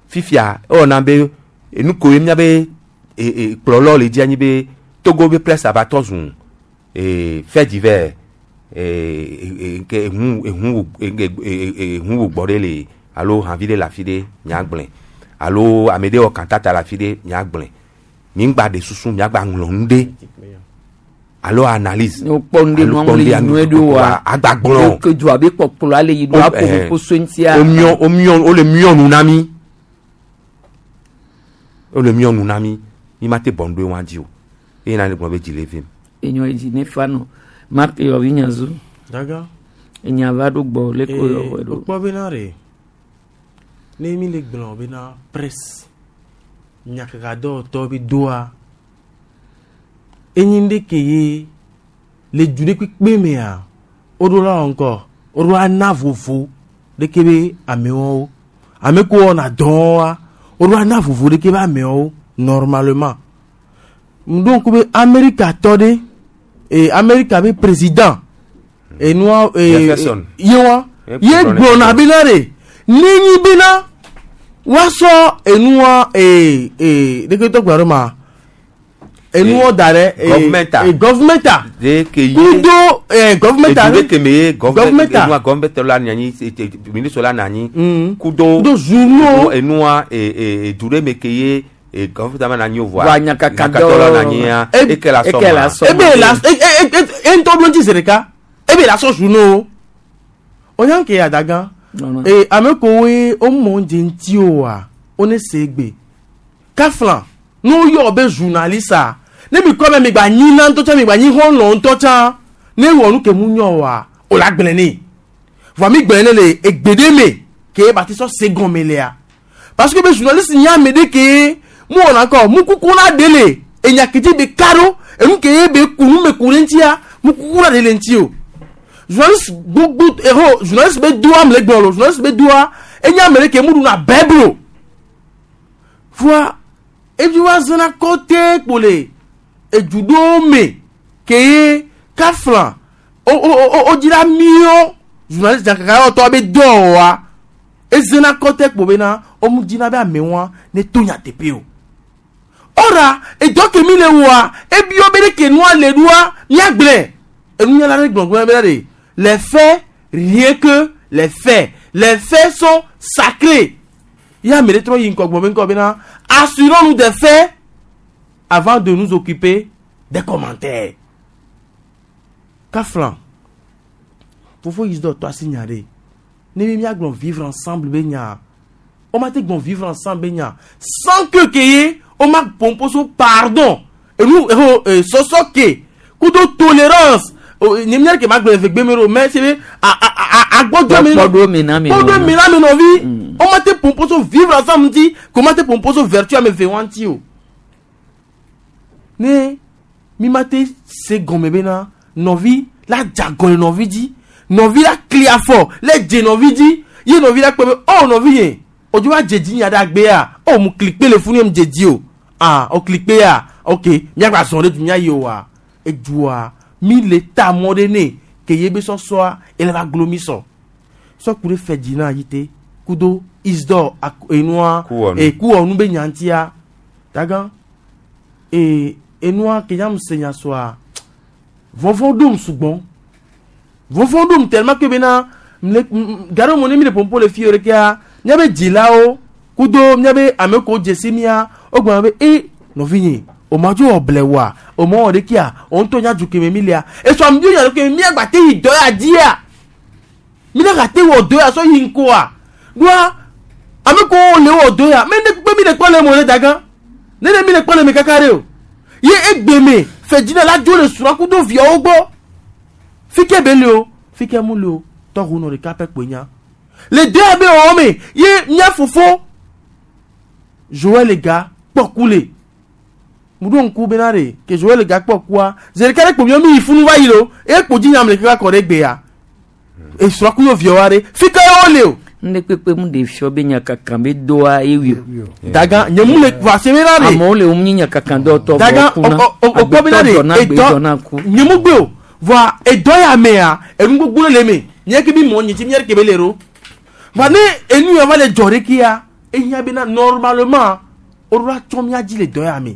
Fifia ewɔ na be enu ko ye mia be e e kplɔlɔ le dzi anyi be Togo be presse ava tɔ zu e fait divers e e ke ehu ehu e e ehu wo gbɔ ɖe le alo havi ɖe le afi ɖe miagblẽ alo ame ɖe wɔ kantata le afi ɖe miagblẽ mi ŋgba ɖe susu miagba ŋlɔ nu ɖe alo analyse Ne wokpɔ nu ɖe alo nua kpɔ nu ŋlɔ ɖe yi nue ɖo wa. agba gblɔ Ke dua be kpɔkplɔ ale yi ɖo aƒo eh, ƒo so ŋutia. womiɔ womiɔ wole miɔ nu na mi wole miɔ nu na mi mi ma te bɔ nu ɖe wa dzi o eye na ne gblɔ be dzi le vim Enyo edzi ne fa nɔ. Mark yɔvi nyazu. Daga. Enya va ɖo gbɔ le ko yɔ wɔ ɖo. Wokpɔ bena ɖe ne mi le gblɔ bena presse nyakakadɔwɔtɔ be doa enyi ɖe ke ye le du ɖe kpekpe mea woɖo la wɔ ŋkɔ woɖo ana vovo ɖeke be amewo ame ko wɔna dɔa woɖo ana vovo ɖeke be amewo normalement ŋɖo ŋku be Amerika tɔ ɖe e Amerika be président enua e Jefferson. ye wa Ye ye gblɔ gblɔna bena ɖe nenyi bena woasɔ enua ee ee ɖeke tɔ gblɔ ɖe ma enuɔ da ɖe ee Governmenta. ee governmenta de ke ye kudo ee governmenta edu ɖe ke me ye Governmenta. enua government la nɔ anyi ministre la nɔ anyi kudo kudo journaux enua e edu ɖe me ke ye e government ma nɔ anyi o voa Voa nyakakadɔ nyakakadɔ la nɔ anyia eke la sɔ eke la ma sɔ ebe la e e e e ŋutɔ ɖo ŋuti zi ɖeka ebe la sɔ journaux o ke adaga ee ame kowoe womɔ dze ŋuti oa wone se gbe kafla ne woyɔ be journaliste a ne mi kɔ be mi gba nyi na ŋutɔ tsã mi gba nyi xɔlɔ ŋutɔ tsã ne wɔ nu ke mu nyɔ oa o la gblẽ ne voa mi gblẽ ne le egbe ɖe me ke ba te sɔ se gɔme lea parce que be journaliste nye ame ɖe ke mu wɔna kɔ mu kuku na ɖe le enya ke dzi be ka ɖo enu ke ye be ku nu me ku ɖe ŋutia mu kuku na ɖe le ŋuti o journaliste gbogbo eho journaliste be doa ame le gblɔ lo journaliste be doa enye ame ɖe ke mu ɖuna bɛblo voa evi wa zana kɔte kpo le edu ɖewo me ke ye kafla o o o o dzra miɔ journaliste jakaka yɔ tɔ be dɔ wa ezena kɔte kpo bena womu dzina be amewoa ne to nyateƒe o ɔra edɔ ke mi le wɔa ebiɔ be ɖe ke nua le ɖoa miagblẽ enunyala ɖe gblɔgblɔ bena ɖe les faits rien que les faits les faits sont sacrés ya ame ɖe trɔ yi ŋkɔ gbɔ be ŋkɔ bena assurons-nous des faits avant de nous occuper des commentaires kaflan fofo yi dɔ tɔ asi nya ɖe ne mi miagblɔ vivre ensemble be nya woma te gbɔn vivre ensemble be nya sans que ke ye woma pompo so pardon enu eho sɔsɔ ke kudo tolérance nye miare ke ma gblɔ eve gbe me ɖo mais c'est be a a a agbɔdzɔ mi Kpɔɖo mi na mi kpɔɖo nɔ. mi na mi nɔvi woma te pompo so vivre ensemble ŋuti ko ma te pompo so vertu ame ve wa ŋuti o ne mi ma te se gɔme bena nɔvi la dze agɔ le nɔvi dzi nɔvi la kli afɔ le dze nɔvi dzi ye nɔvi la kpɔ be oh nɔvi ye odzo wa dze dzi nya ɖe agbea oh mu kli kpe le funu ye mu dze dzi o ah o kli kpe ya ok miagba zɔn ɖe du mia yi o wa edua mi le ta mɔ ɖe ne ke ye be sɔsɔa ele va glo mi sɔ sɔku ɖe fɛ dzi na yi te kudo isdor enua Kuwɔnu. e kuwɔnu be nyantia dagan e enua ke nya mu se nya soa vɔvɔ ɖom sugbɔn vɔvɔ ɖom tellement que bena mle garo mo ne mi le pompo le fi yɔ ɖekea míabe dzilawo kudo míabe ame kewo dze si mía wogblɔna be e nɔvinye o ma dzo wɔ blewa o ma wɔ ɖekea o ŋutɔ nya du keme mi lia esɔ ame nya ɖeke míagba te yi dɔ ya dzia mi ne gate wɔ dɔ ya sɔ yi ŋkɔa ɖoa ame kewo le wɔ dɔ ya mɛ ne kpe mi le kpɔ le mo le dagã ne ne mi le kpɔ le me kaka ɖe o ye egbe me fɛdzina la dzo le srɔ̃ kudo viawo gbɔ fike be le o fike mu le o tɔhu nɔ ɖeka pɛ kpoe nya le de abe wɔwɔ me ye mía fofo joel ga kpɔku le mu ɖo ŋku bena ɖe ke joel ga kpɔkua zi ɖeka ɖe kpo miɔ mi yi funu va yi lo eye kpo dzi nyam le kaka kɔ ɖe gbea Esrɔ̃ ku yo viawoa ɖe fi ka ye wole o. Nde kpekpe mu de fiɔ be nyakaka be doa ewi o. Daga nye mu le va se be na de. Amewo le wo nyi nyakaka dɔtɔ Daga vɔ kuna. o o o kpɔ be na de Agbetɔ dzɔna gbe edɔ dzɔna ku. nye mu gbe o voa edɔ ya mea enu gbogbo le me nye ke mi mɔ nye ti mi yɛrɛ ke be le ro va ne enu ya va le dzɔ ɖe kia ehiã bena normalement woɖo atsɔ mía dzi le dɔ ya me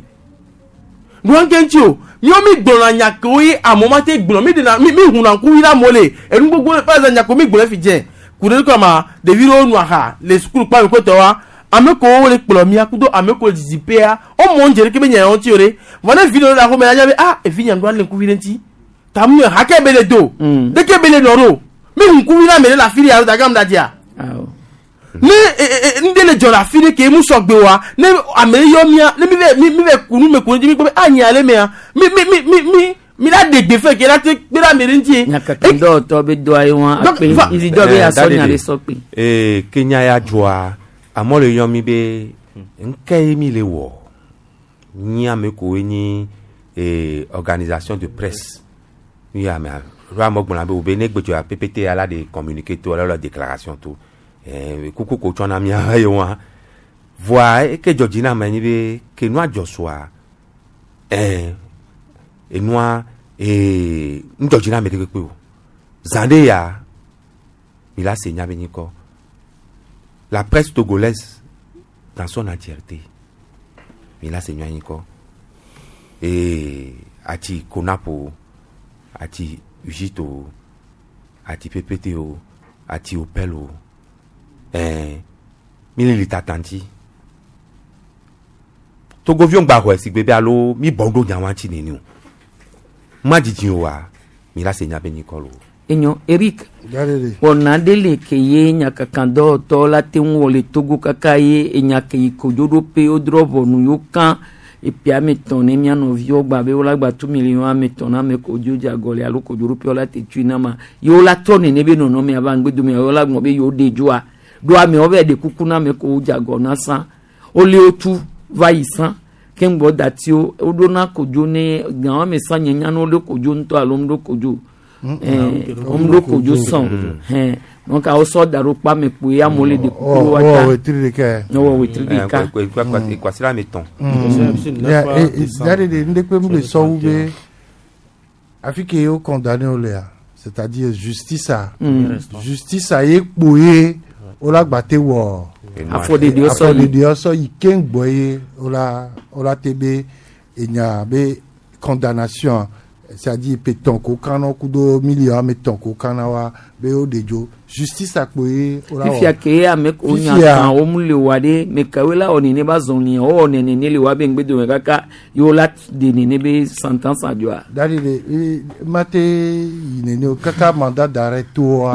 nua ke ŋuti o míawo mi gblɔna nya kewo ye amewo ma te gblɔ mi ɖena mi mi huna ŋku yi ɖe amewo le enu gbogbo le par exemple nya kewo mi gblɔ fi dze ku ɖe kɔma ɖevi ɖewo nu aha le sukulu kpa mi kpetɔ wa ame kewo le kplɔ mía kudo ame kewo le didiƒea womɔ ŋdze ɖeke be nya yawo ŋuti o ɖe vɔ ne vi ɖewo le axome la nya be ah evi nya ŋɖo ale ŋkuvi ɖe ŋuti tamu yɛ hake be le do ɖeke be le nɔ ɖo mi hu ŋkuvi na ame ɖe le afi ɖe alo dagam da dzia ne ŋɖe le dzɔ le afi ɖe ke mu sɔgbe wa ne ame ɖe yɔ mía ne mi vɛ mi mi vɛ kunu me kunu dzi mi kpɔ be ah nya le mea mi mi mi mi mi mi la ɖe gbe fɛ ke la te kpe ɖe ame ɖe ŋuti. Nyakaka dɔwɔtɔ be doa ye wa Donc, akpe izi dɔ be asɔ nya ɖe sɔ kpe. Ee, Kenya ya dzɔa amewo le yɔ mi be ŋke ye mi le wɔ nyi ame kowoe nyi ee organisation de presse nu ya mea ɖo amewo gblɔna be wo be ne gbedzɔ ya ppt ya la de communiqué to alo la déclaration to ee kuku ko tsɔna mía ye wa voa eke dzɔ dzi na ame nyi be ke nua dzɔ soa ɛɛ enua ee ŋdzɔ dzi na ame ɖe kpekpe o zã ɖe ya mi la se nya be nyikɔ la presse togolaise dans son entièreté mi la se nya nyikɔ ee ati konapo ati ujito ati ppt o ati opel o ɛɛ mi le li tatanti togoviwo ŋgba xɔe si gbe be alo mi bɔn ɖo nyawa ŋuti neni o ma dzidzi o wa mi la se nya be nyikɔ lo. Enyo Eric wɔna ɖe le ke ye nyakaka dɔwɔtɔ la te ŋu wɔ le Togo kaka ye enya ke yi kodzoɖoƒe wodrɔ ʋɔnu yewo kã eƒe ame etɔ̃ ne mía nɔviwo gba be wola gba tu miliɔn ame etɔ̃ na ame kodzo dze agɔ le alo kodzoɖoƒe la te tui na ma yewo la trɔ nene be nɔnɔme ava ŋgbedome yewo la gblɔ be yewo ɖe dzoa ɖo amewo va ɖe kuku na ame kewo dze agɔ na sã wole wo tu va yi sã ke ŋgbɔ datiwo woɖona kodzo ne gã ame sã nye nya ne woɖo kodzo ŋutɔ alo womeɖo kodzo womeɖo kodzo sã o hɛn donc awo sɔ da ɖo kpa me kpoe amewo le ɖe kuku wa ta wɔ wetri ɖeka. Ne wɔ wetri ɖeka. Kwasi ame etɔ̃. Ya ɖe ŋɖe kpe mu le sɔwu be afi ke wo condamné wo lea c'est-à-dire justice a justice a ye kpo ye wola gba te wɔ Afɔɖeɖewo sɔ yi. afɔɖeɖewo sɔ yi keŋ gbɔ ye wola wola te be enya be condamnation c'est-à-dire petɔn ko kana kudo million ame etɔn ko kana wa be wo ɖe dzo justice a kpo ye wola wɔ fifia ke ame ko nya Fifia- kan wo mu le wa ɖe me kawoe la wɔ nene ba zɔn nia wowɔ nene le wa be ŋgbedome kaka yewo la de nene be sentence adzɔa. Dari de mate yi nene o kaka mandat d'arrêt to wa.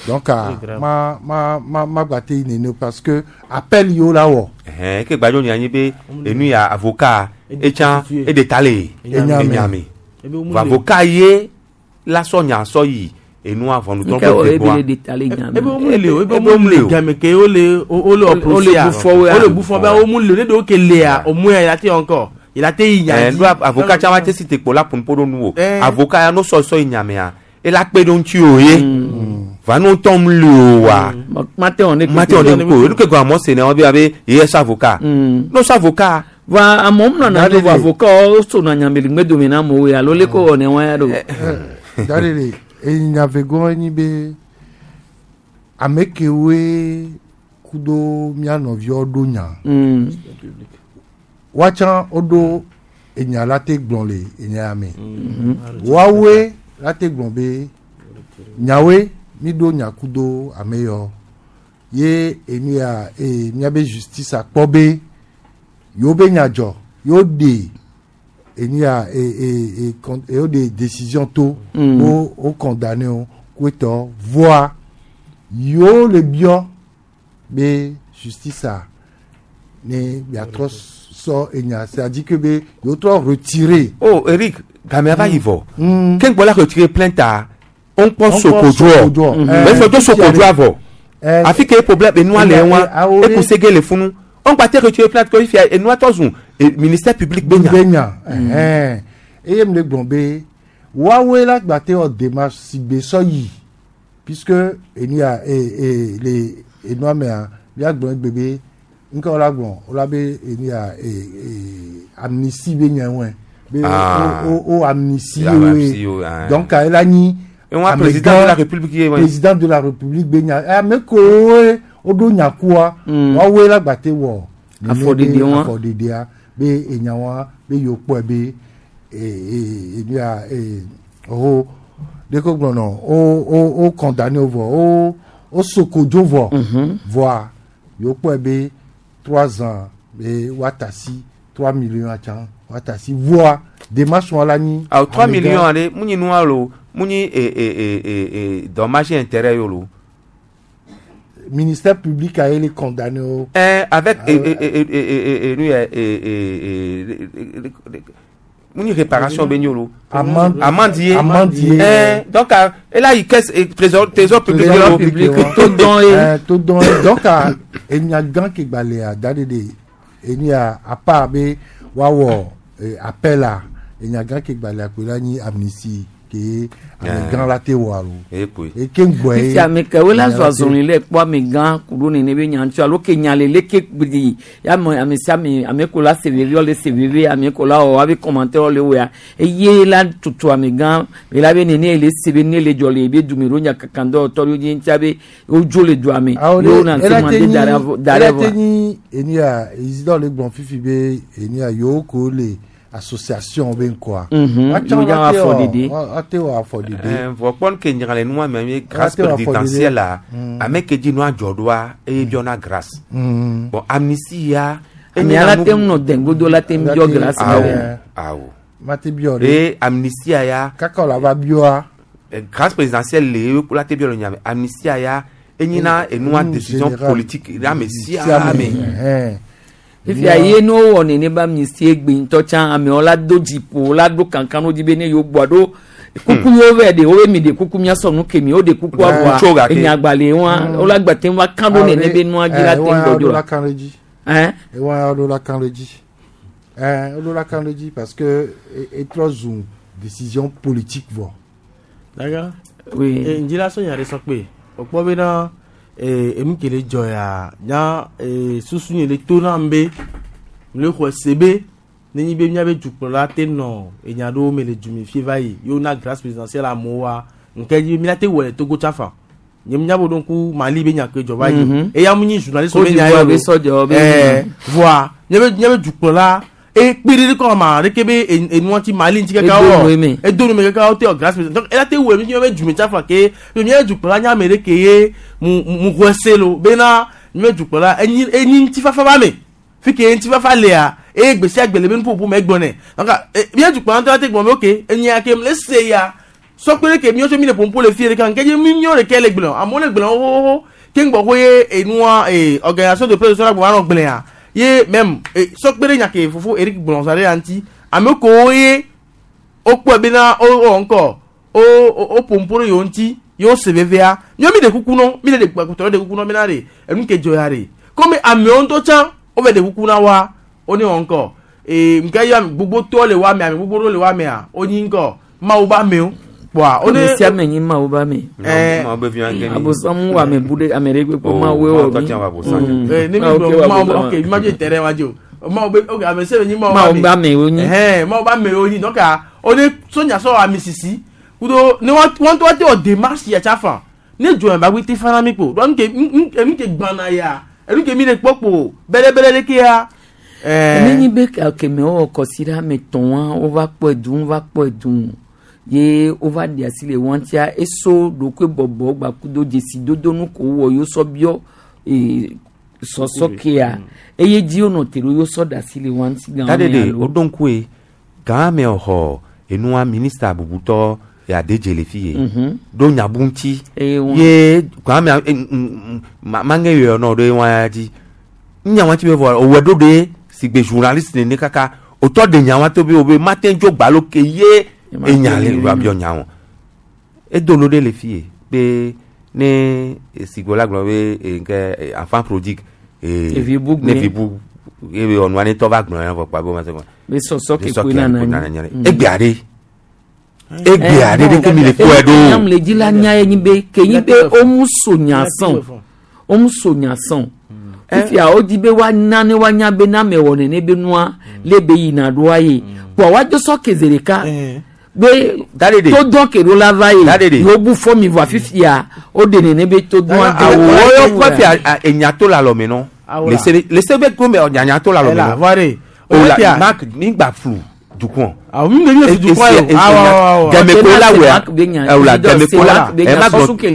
Donc ah, ma ma ma ma gba te yi nene o parce que appel yi wo la wɔ. Ɛhɛn ke gbadzo nya nyi be enu ya avocat etsã eɖe ta le Enyame. enyame vɔ avocat ye la sɔ nya sɔ yi enua ʋɔnudrɔ̃ƒe Nke wɔ ve ebe gbɔa. le ɖe ta le nya ebe me. wo mu le o ebe Ebe wo wo mu mu le le o. game ke wo le wo le Wo le procès a bu fɔ woa. wo le bu fɔ be wo mu le o ne ɖewo ke lea o mu ya yi la te encore yi la te yi nya Ɛɛ dzi. ɖo avocat tsã wa te si te kpo la ƒo ɖo nu o Eh. avocat ya no sɔ sɔ yi nyamea ela kpe ɖe ŋuti o ye va no ŋutɔ mu le o wa mate wɔ ne mate wɔ ne ko enu ke gɔme amewo se ne wo be abe ye sɔ avocat no sɔ avocat va amewo nɔna Dari nu vɔ de. avocat wo sona nyame le ŋgbedome na amewo ya alo leke wɔ ne wa ya ɖo. Dari de enya vegɔn enyi be ame kewoe kudo mía nɔviwo ɖo nya. Woatsã woɖo enya la te gblɔ le enya ya me. Woawoe la te gblɔ be nyawoe mi ɖo nya kudo ame yɔ ye enu ya ee míabe justice akpɔ be yewo be nya dzɔ yewo ɖe enu ya ee ee ee con yewo ɖe décision to wo wo condamné wo ku etɔ voa yewo le biɔ be justice a ne biatrɔ sɔ enya c'est à dire que be yewo trɔ retirer. oh Eric gamea va yi vɔ ke ŋgbɔ la retirer plainte a wo ŋkpɔ Wo ŋkpɔ sokodzo sokodzo. mɛ fɔ to sokodzo avɔ Eh, afi ke problème enua le eh, wa eh, awo eku sege le funu wo ŋgba te retirer plainte ko fifia enua tɔ zu ministère public be nya be nya ɛhɛn eye mi le gblɔ be woawoe la gba te wɔ démarche si gbe sɔ yi Puisque enia e e le enua mea miagblɔ egbe be nke wola gblɔ wola be enia e e amnistie be nyawoe be Ah. o o o amnistie Amnistie wo, woe ah. donc ela nyi Et moi, ame président gã- de la République ye, ouais. président de la république be nya ame kowoe woɖo nyakua woawoe la gbate wɔ nene Afɔɖiɖi be wa. afɔɖiɖia be enyawa be yewo kpɔe be e e enuya e ho ɖeko gblɔ nɔ wo wo wo condamné wo vɔ wo wo sokodzo vɔ vɔa yewo kpɔe be trois ans be woatasi trois millions atsã woatasi vɔa démarche wa la nyi. awo 3 amegã- millions ale mu nyi nua lo mu nyi e e e e e dommage intérêt yo lo ministère public a ele condamné wo. Eh, avec e e e e e e nu yɛ e e e e mu nyi réparation be nyi lo Amende- amende ye amende ye. Eh, donc ah, ela yi caisse eh, trésor trésor public Trésor lo public, wa. Eh, to dɔn ye donc ah, enya gã ke gbalẽa da ɖe ɖe enia à part be woawɔ eh, appel a enya gã ke gbalẽa koe la nyi amnistie ke ame gã la te wɔ alo. Ekpoe. Eke ŋgbɔe. Fifia ame kewo la zɔ azɔli le kpɔ ame gã ku ɖo nene be nya ŋuti alo ke nya le leke gbi ya ame ame sia ame ame ko la se veve le se veve ame ko la wɔ abe commentaire le wɔa eye la tutu ame gã be la be nene le se be ne le dzɔ le ebe dume ɖo nya kankan dɔ tɔ ɖo dzi ŋutia be wodzo le dua me Awo ye wo ɖe na ela se te mande nyi da ɖe da ela ɖe te vɔa. nyi enia isidore le gblɔ fifi be enia yewo ko le association be ŋkɔa. Mhm, Woatsã yewo dza woate wɔ wɔ- afɔɖiɖi. woate wɔ afɔɖiɖi. Eh, vɔ kpɔn ke nyagale nua mɛ mi grâce Ate wɔ afɔɖiɖi. présidentielle la Mm. ame ke dzi nua dzɔ ɖoa eye biɔna grâce Mm. bon amnistie ya Ame ala te ŋu nɔ dɛngodo la te ŋu biɔ grâce awo la. awo Mate biɔ ɖe. e amnistie ya Kaka wòle ava biɔa. Eh, grâce présidentielle le ye la te biɔ le nyame amnistie ya enyina enua Mm, décision général. politique ame sia Sia ame ame. Fifia ye ne wowɔ nene be amnistie egbe ŋutɔ tsã amewo la do dziƒo la do kankan ɖo dzi be ne yewo gbɔ ɖo kuku yewo vɛ ɖe wo be mi ɖe kuku miasɔ nu ke mi wo ɖe kuku Tso avɔa gake. enyagbalẽ wa wo la gba te ŋu va kan ɖo nene be nua dzi la te ŋu gbɔdzɔ la la. kan ɖe dzi. Hein? Ewa ɖo la kan ɖe dzi. Ɛn ɖo la kan ɖe dzi parce que etrɔ zu décision politique vɔ. D'accord. Oui. Eh, ŋdzi la sɔ nya ɖe sɔ kpe. Wòkpɔ bena eh, enu ke le dzɔ ya nya eh, susu nye le to nam be le xɔ se be nenyi be míabe dukplɔla te nɔ enya ɖewo me le dume fie va yi ye wona grâce présidentielle amewoa nke dzi be míate wɔ le Togo tsafa nye míabe ɖo ŋku Mali be nya ke dzɔ va yi Mhm. eya mu nyi journaliste Côte be nya d'Ivoire ye be o. sɔdzɔ be- Eh, voa míabe míabe dukplɔla ekpe ɖe kɔ ma ɖeke be enua ti Mali ŋuti kaka Edo wɔ nu eme. edo nu me kaka wote wɔ grâce présidentielle donc ela te wɔ mi míabe dume tsafa ke be míabe dukplɔla nye ame ɖe ke ye mu mu xɔe se lo bena míabe dukplɔla enyi enyi ŋutifafa ba me fi ke ŋutifafa lea eye gbe sia gbe le be nuƒoƒo me egblɔ nɛ donc míabe dukplɔla ŋutɔ la te gblɔ be ok enyia ke le se ya sɔkpe ɖe ke míawo tso mi le ƒoƒo le fie ɖeka nke dzi mi míawo ɖeke le gblɔ amewo le gblɔ xoxoxo ke ŋgbɔ ko ye enua ee organisation de presse la gbɔ anɔ gblẽa ye même e sɔkpe ɖe nya ke fofo Eric gblɔ zã ɖe ya ŋuti ame kewo ye wokpɔe bena wo wɔ ŋkɔ wo wo ƒoƒo ɖe yewo ŋuti yewo se vevea míawo mi ɖe kuku nɔ mi le ɖe kpɔtɔ ɖe kuku nɔ bena ɖe enu ke dzɔ ya ɖe komi amewo ŋutɔ tsã wove ɖe kuku na wa wo ne wɔ ŋkɔ ee nke ye ame gbogbo tɔ le wa me ame gbogbo ɖewo le wa mea wonyi ŋkɔ mawu be amewo kpɔa wo ne Ame sia ame nyi mawu be ame. Eh. Mawu be vi wa nke ni. Abosam wɔ ame bu ɖe ame ɖe kpekpe Oh, mawu Mawu wɔ tɔ mi. tsã wɔ abosam. Mm. Eh, ne mi Mawu ke gblɔ wɔ mawu abosam. ok mi ma dzo terrain wa dzo mawu be ok ame sia ame nyi mawu Mawu be amewo nyi. ɛhɛn mawu be amewo nyi donc ah wo ne sonya sɔ ami sisi kudo ne wa wɔn tɔ te wɔ démarche ya tsa fan ne dzo yɛn bagbe te fana mi kpo donc enu ke enu ke gbana ya enu ke mi le kpɔ kpo bɛlɛbɛlɛ de ke ya. Ne ɛɛ nyi be keme wowɔ kɔsiɖa ame tɔ̃a wova kpɔe duu wova kpɔe duu ye wova ɖe asi le wɔa ŋutia eso ɖokui bɔbɔ gbakudo dzesidodo nu ko wowɔ yewo sɔ biɔ ee sɔsɔ kea eye dzi wonɔ te ɖo yewo sɔ ɖe asi le wɔa ŋuti gã ta me ɖe alo. woɖo ŋku ye gã me xɔ enua minista bubutɔ adedze le fi ye Mhm. ɖo nyabu ŋuti Eye wa- ye gã me mange yɔ nɔ ɖe wa ya dzi nya wa ti be vɔ owɔ ɖo ɖe si gbe journaliste nene kaka wòtɔ ɖe nya wa to be wo be mate ŋu tso gbalo ke ye enya le wa biɔ nya wɔn edo lo ɖe le fi ye be ne sigbo la gblɔ be eh, nke eh, enfant prodigue eh, Evi bu ne gbe. vi bu eye ɔnua ne tɔ va gblɔ ya vɔ kpa be wo ma se Be sɔsɔ ke Be koe sɔ nana ke anyi. nana anyi. Mm. Egbea ɖe Egbea ɖe ɖeke mi le kpɔe ɖo. Nyam le dzi la nya ye nyi be ke nyi be womu so nya sɔn womu so nya sɔn fifia wodi be woana ne woanya be na ame wɔ nene be nua le be yina ɖoa ye kpoa woadzo sɔ ke zi ɖeka be to dɔn ke ɖo la va ye yewo bu fɔ mi vɔa fifia woɖe nene be to dɔn Awo wɔyɔ kɔ fi enya to le alɔme nɔ. Le se be gome nyanya to le alɔme Ela, nɔ. voire. O la Oya. Mark mi gba flu dukɔn. Awo mi mi fi dukɔn ye o. Awɔ awɔ awɔ. Gɛmɛ ko la wɛ. Awo la gɛmɛ ko la. Ɛ ma gblɔ. O kɔ mi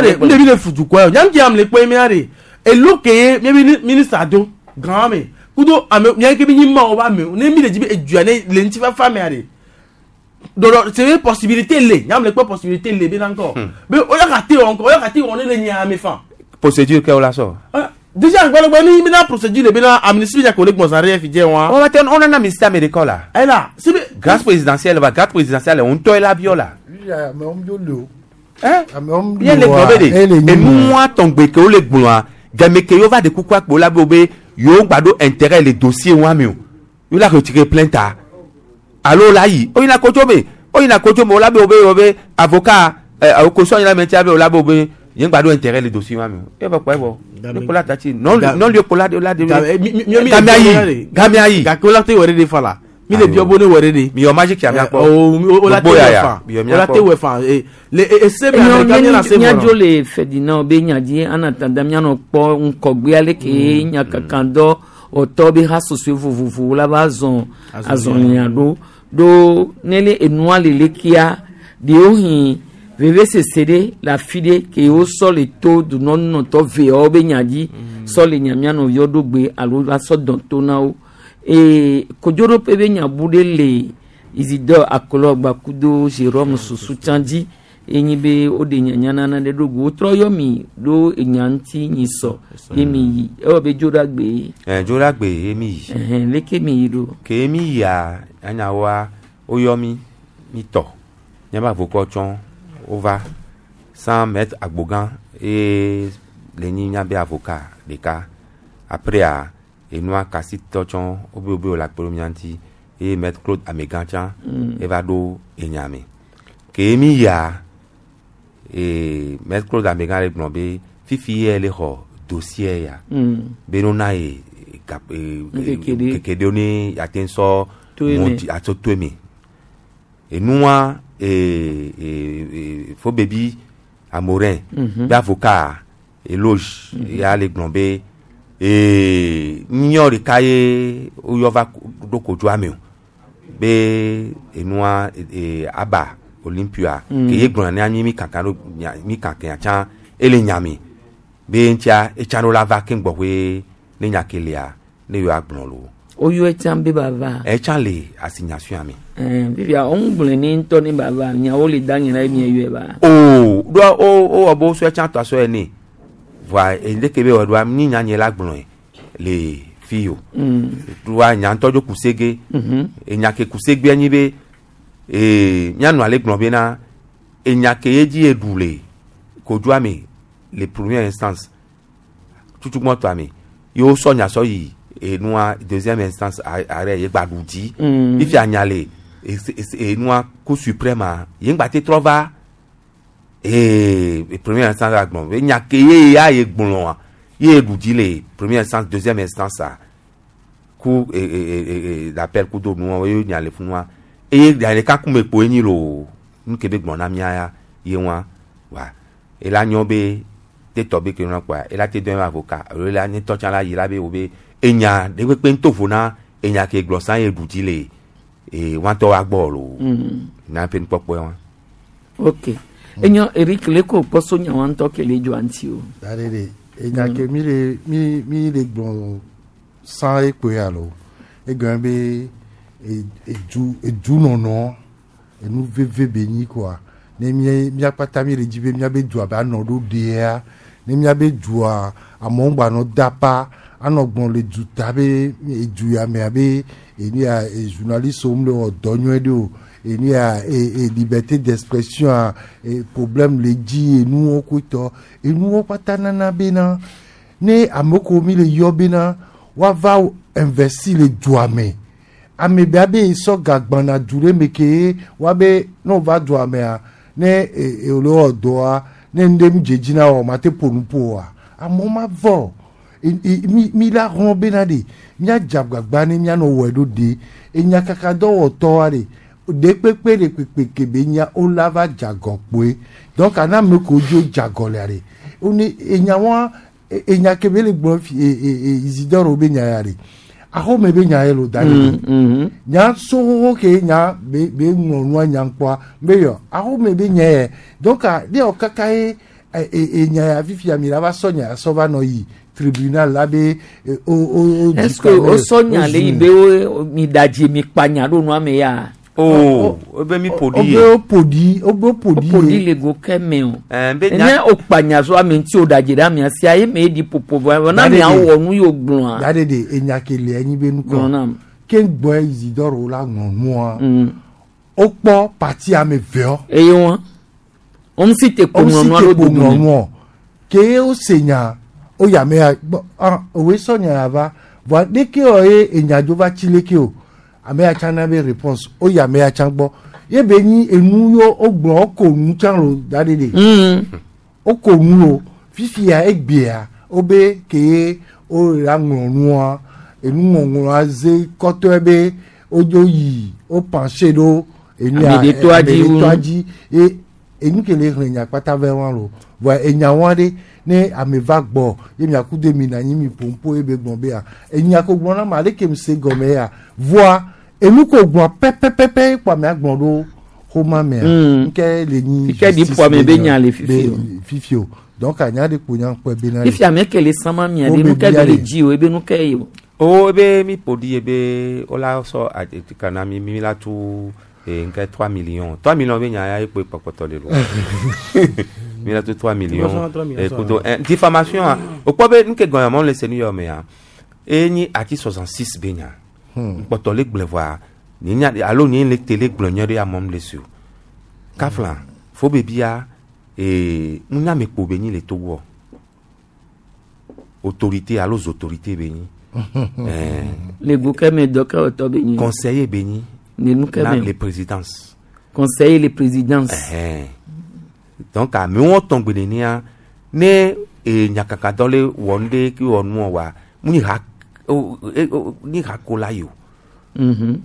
de mi de mi le fi dukɔn ye o. Nyam jam le kpɔ mi de. Elo ke ye mi bi ministre do gan me. Kudo ame mi ke bi nyi ma o ba me. Ne mi le dzi be edua ne le ŋuti fafa mea de. Dɔdɔ c'est une possibilité le. Nyam le kpɔ possibilité le be na ŋkɔ. Be o ya ka te wɔ ŋkɔ o ya ka te wɔ ne le nya me fan. Procédure kɛ o la sɔ. Déjà gbɔdɔgbɔ ni mi na procédure le be na amnistie bi ko le gbɔn zan fi jɛ wa. On va te on en a mis ça mais d'école là. Elle a. Grâce présidentielle va grâce présidentielle on tɔ la bio la. Amewo dzo le o. Amewo Ye le gblɔ be de enua tɔngbe ke wo le gblɔa game ke yewo va de kuku akpo la be wo be yewo gba ɖo intérêt le dossier wa me o yewo la retirer plainte a alo la yi o yina kodzo me o yina kodzo me o la be wo be wo be avocat ɛ awo kosɔn yina me tia be o la be wo be ye gba ɖo intérêt le dossier wa me o ye bɛ kpɔ evɔ ne ko la tati non non lieu ko la de la de game ayi game ayi gake o la te wɛrɛ de fa la mi le biɔ bo ne wɛrɛ de. mi yɔ magic ya mia kpɔ o o la te Gbogbo wɛ ya ya. fan Mi yɔ o mia la kpɔ. te wɛ fan ee le ese mi amɛrika mi na se míadzo mɔ le Ferdinand be nya dzi en attendant míanɔ kpɔ ŋkɔgbea leke nyakaka dɔ ɔtɔ be ha sosoe vovovowo la va zɔn azɔlia ɖo ɖo ne le enua le lekea ɖewohĩ vevesese ɖe le afi ɖe ke wosɔ le to dunɔnunɔtɔ veawo be nya dzi sɔ le nya mía nɔviwo ɖo gbe alo va sɔ dɔn to na wo ee kodzoɖoƒe be nya bu ɖe le Isidore Akolɔ gbakudo Jérôme Susu tsã dzi enyi be woɖe nyanya nana ɖe ɖo go wotrɔ yɔ mi ɖo enya ŋuti nyi sɔ ye mi yi ewɔ be dzo ɖe agbe ye. Ɛ dzo ɖe agbe ye mi yi. Ɛhɛn leke mi yi ɖo. Ke mi yia anyawoa woyɔ mi mi tɔ míabe avokɔ tsɔ wova sans maître agbogã eye le nyi míabe avocat ɖeka après enua kasi tɔ tsɔ wobe wobe wòle akpe ɖo mía ŋuti eye maître Claude Amegã tsã eva ɖo enya me ke mi yia ee maître Claude Amegã le gblɔ be fifi ye le xɔ dossier ya be no na ye gap ee Ŋkeke ɖe. keke ɖewo ne ate ŋu sɔ To eme. mɔ dzi atsɔ to eme enua ee ee ee fo bebi amorin be avocat eloge ya le gblɔ be ee nyɔ ɖeka ye woyɔ va ɖo kodzoa me o be enua ee aba olympia ke ye gblɔna ne anyi mi kankan ɖo mi kankan tsã ele nya me be ŋutia etsã ɖo la va keŋ gbɔƒe ne nya ke lia ne yewoa gblɔ lo woyɔ etsã be ba va. etsã le asinyasua me. Ɛn fifia wo gblɔe ne ŋutɔ ne ba va nyawo le da nye la ye mi yɔe ba. o ɖoa o o wɔ be wosɔ etsã tɔ asɔ ene voa leke be wɔ ɖoa mi nya nye la gblɔe le fi o ɖoa nya ŋutɔ dzo kusege enya ke kusegbea nyi be ee mianɔ ale gblɔ bena enya ke ye dzi eɖu le kodzoa me le première instance tutugbɔtɔa me ye wosɔ nya sɔ yi enua deuxième instance arrêt ye gba ɖu dzi fifia nya le enua cour suprême a ye ŋgba te trɔ va ee première instance la gblɔ be nya ke ye ya ye gblɔa ye ɖu dzi le première instance deuxième instance a ku e e e e d'appel kudo nua ye nya le funua eye nya ɖeka kume kpo enyi lo nu ke be gblɔ na mía ya ye wa wa ela nyɔ be te tɔ be ke nua kpoa ela te dɔn ye avocat alo ela nye tɔ tsã la yi la be wo be enya ɖe kpekpe ŋuto na enya ke gblɔ sã ye ɖu dzi le ee wa ŋutɔ wa gbɔ lo na ƒe nukpɔkpɔe wa. Ok enyo Eric le ko kpɔ so nyawo ŋutɔ ke le dzɔa ŋuti o. Da ɖe ɖe enya ke mi le mi mi le gblɔ san ekpoe alo egɔme be edu edunɔnɔ enu veve be nyi koa ne mía mía kpata mi le dzi be míabe dua be anɔ ɖo ɖea ne míabe dua amewo gbanɔ dapa anɔ gblɔ le duta be edu ya mea be enu ya e journaliste wo le wɔ dɔ nyuie ɖe o enu ya e e liberté d'expression a e problème le dzi enuwo kotɔ enuwo kpata nana bena ne ame ko mi le yɔ bena woava investir le dua me. Ame bia be sɔ gagbana du ɖe me ke wa be ne wova dua mea ne e e le wɔ dɔa ne nu ɖe mu dze dzi na wɔ ma te ƒo nu ƒo oa amewo ma vɔ mi mi la hlɔ̃ bena ɖe míadze agbagba ne míanɔ wɔe ɖo ɖe enyakaka dɔwɔtɔa ɖe ɖe kpekpe ɖe kpekpe ke be nya wola va dze agɔ kpoe donc ana ame kewo dzo dze agɔ lea ɖe wone enya wa enya ke be le gblɔ fi e e e Isidore be nya ya ɖe axɔme be nya ye lo da ɖe nya soxoxo ke nya be be ŋlɔ nua nya kpɔa be yɔ axɔme be nya yɛ donc ne yɔ kaka ye e e enya ya fifia mi la va sɔ nya ya sɔ va nɔ yi tribunal la be o o o Est-ce que o sɔ nya le yi be wo mi da dzi mi kpa nya ɖo nua me ya. Oh, ebe mi ƒo ɖi ye. Obe ƒo ɖi, obe ƒo ɖi. O ƒo ɖi le go ke me o. Be Ne nya o kpa nya so ame ŋuti o da dzi ɖe amea sia ye me eɖi ƒoƒo vɔ na mia wɔ nu yi o gblɔa. Da ɖe ɖe enya ke le anyi be nukɔ. Gblɔ nam. Ke gbɔe Isidore wo la ŋlɔ nua. Wokpɔ parti ame veɔ. Eye wɔn. Wɔn si te kpo ŋlɔ nua ɖo dodo me. Ke wose nya oya me ya gbɔ ah owe sɔ nya ya va vɔa ɖeke wɔ ye enya dzo va tsi leke o ame ya tsã na be réponse oya ame ya tsã gbɔ ye be nyi enu yo wogblɔ woko nu tsã lo da ɖe ɖe. Woko nu lo fifia egbea wobe ke ye wo la ŋlɔ nua enuŋɔŋlɔa ze kɔtɔe be wodzo yi wo penché ɖo enu ya Ame ɖetɔa dzi wu. ame ɖetɔa dzi ye enu ke le xlẽ nya kpata vɛ wa lo vɔa enya wa ɖe ne ame va gbɔ ye miaku de mi na anyi mi ƒoƒo ye be gblɔ be ya enya ko gblɔ na ma ale ke mi se gɔme ya vɔa enu ko gblɔ pɛpɛpɛpɛ kpo amea gblɔ ɖo xoma mea nke le nyi Fike ɖi justice ƒo ame be nya nya le fifi o. fifi o donc anya ɖe kpo nya kpɔe be na Fifi ame ke le sama mia ɖe nu ke be le dzi o ebe nu ke ye o. O ebe mi ƒo ɖi ye be wola sɔ atika na mi mi la tu nke 3 millions. 3 millions be nya ya ye kpoe kpɔkpɔtɔ le lo. Mi la tu 3 millions. 3 millions, Eh, kudo diffamation a o kpɔ be nu ke gɔnya mɔ le se nu yɔ mea. E nyi ati 66 be nya. Kpɔtɔ le gblẽ vɔa nye nya alo nye le télé gblɔ nya ɖe amɔm le si o. Kafla fo be bia nunya me kpo be nyi le Togo. Autorité alo autorité be nyi. Le go ke me dɔ ke wòtɔ be nyi. Conseiller be nyi. Le nu ke Na me. les présidences. Conseiller les présidences. Donc amewo tɔn gbe nenia ne nyakaka dɔ le wɔ nu ɖe ke wɔ nuɔ wa mu nyi ha o o nyi ha ko la yi o.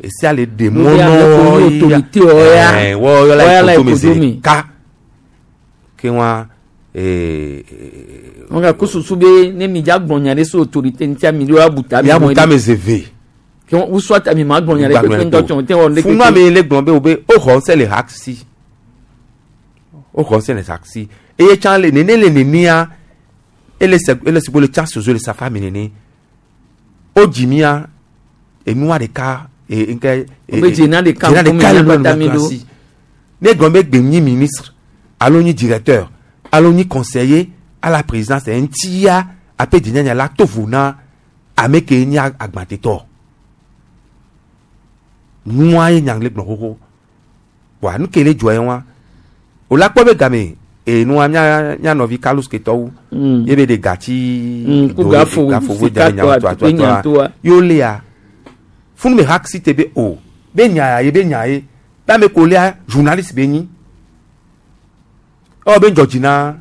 Esia le ɖe Nu mɔ be ame ko nɔ nyi autorité wɔ ya. Wɔ yɔ la Wɔ ya la yi koto me ekodo zi me. ka ke wa Wọn ka ko susu be ne mi dza gblɔ nya ɖe so autorité ŋutia mi ɖo abu ta mi Miabu mɔ ta ɖe. me zeve. Ke wọn soit mi ma gblɔ nya ɖe kpekpe ŋutɔ tsɔ te wɔ nu ɖe Funu kpekpe. ame le gblɔ be o be o xɔ ŋusẽ le ha si. O xɔ ŋusẽ le ha si. Eye tsã le nene le nenea ele se ele si le tsã soso le safa mi nene. O dzi mia enua ɖeka e nke. O be dzena ɖeka dzena ŋkume ɖeka le míaƒe nua ta mi ɖo. si. Ne gblɔ be gbe nyi ministre alo nyi directeur alo nyi conseiller à la présidence ŋutia aƒe dzinyanya la to vo na ame ke nye agbatetɔ. Nua ye nya le gblɔ xoxo. Wa nu ke le dzɔ ye wa. O la kpɔ be game enua mía mía nɔvi Carlos Ketɔwo. Ye be de gati. Ku gafo, gafo wo sika da nya tɔa, toa tukpe nya toa. toa. Yo lea. Funu me hak si te be o. Be nya ya ye be nya ye. Be ame ko lea journaliste be nyi. Ɔ be dzɔ dzi na.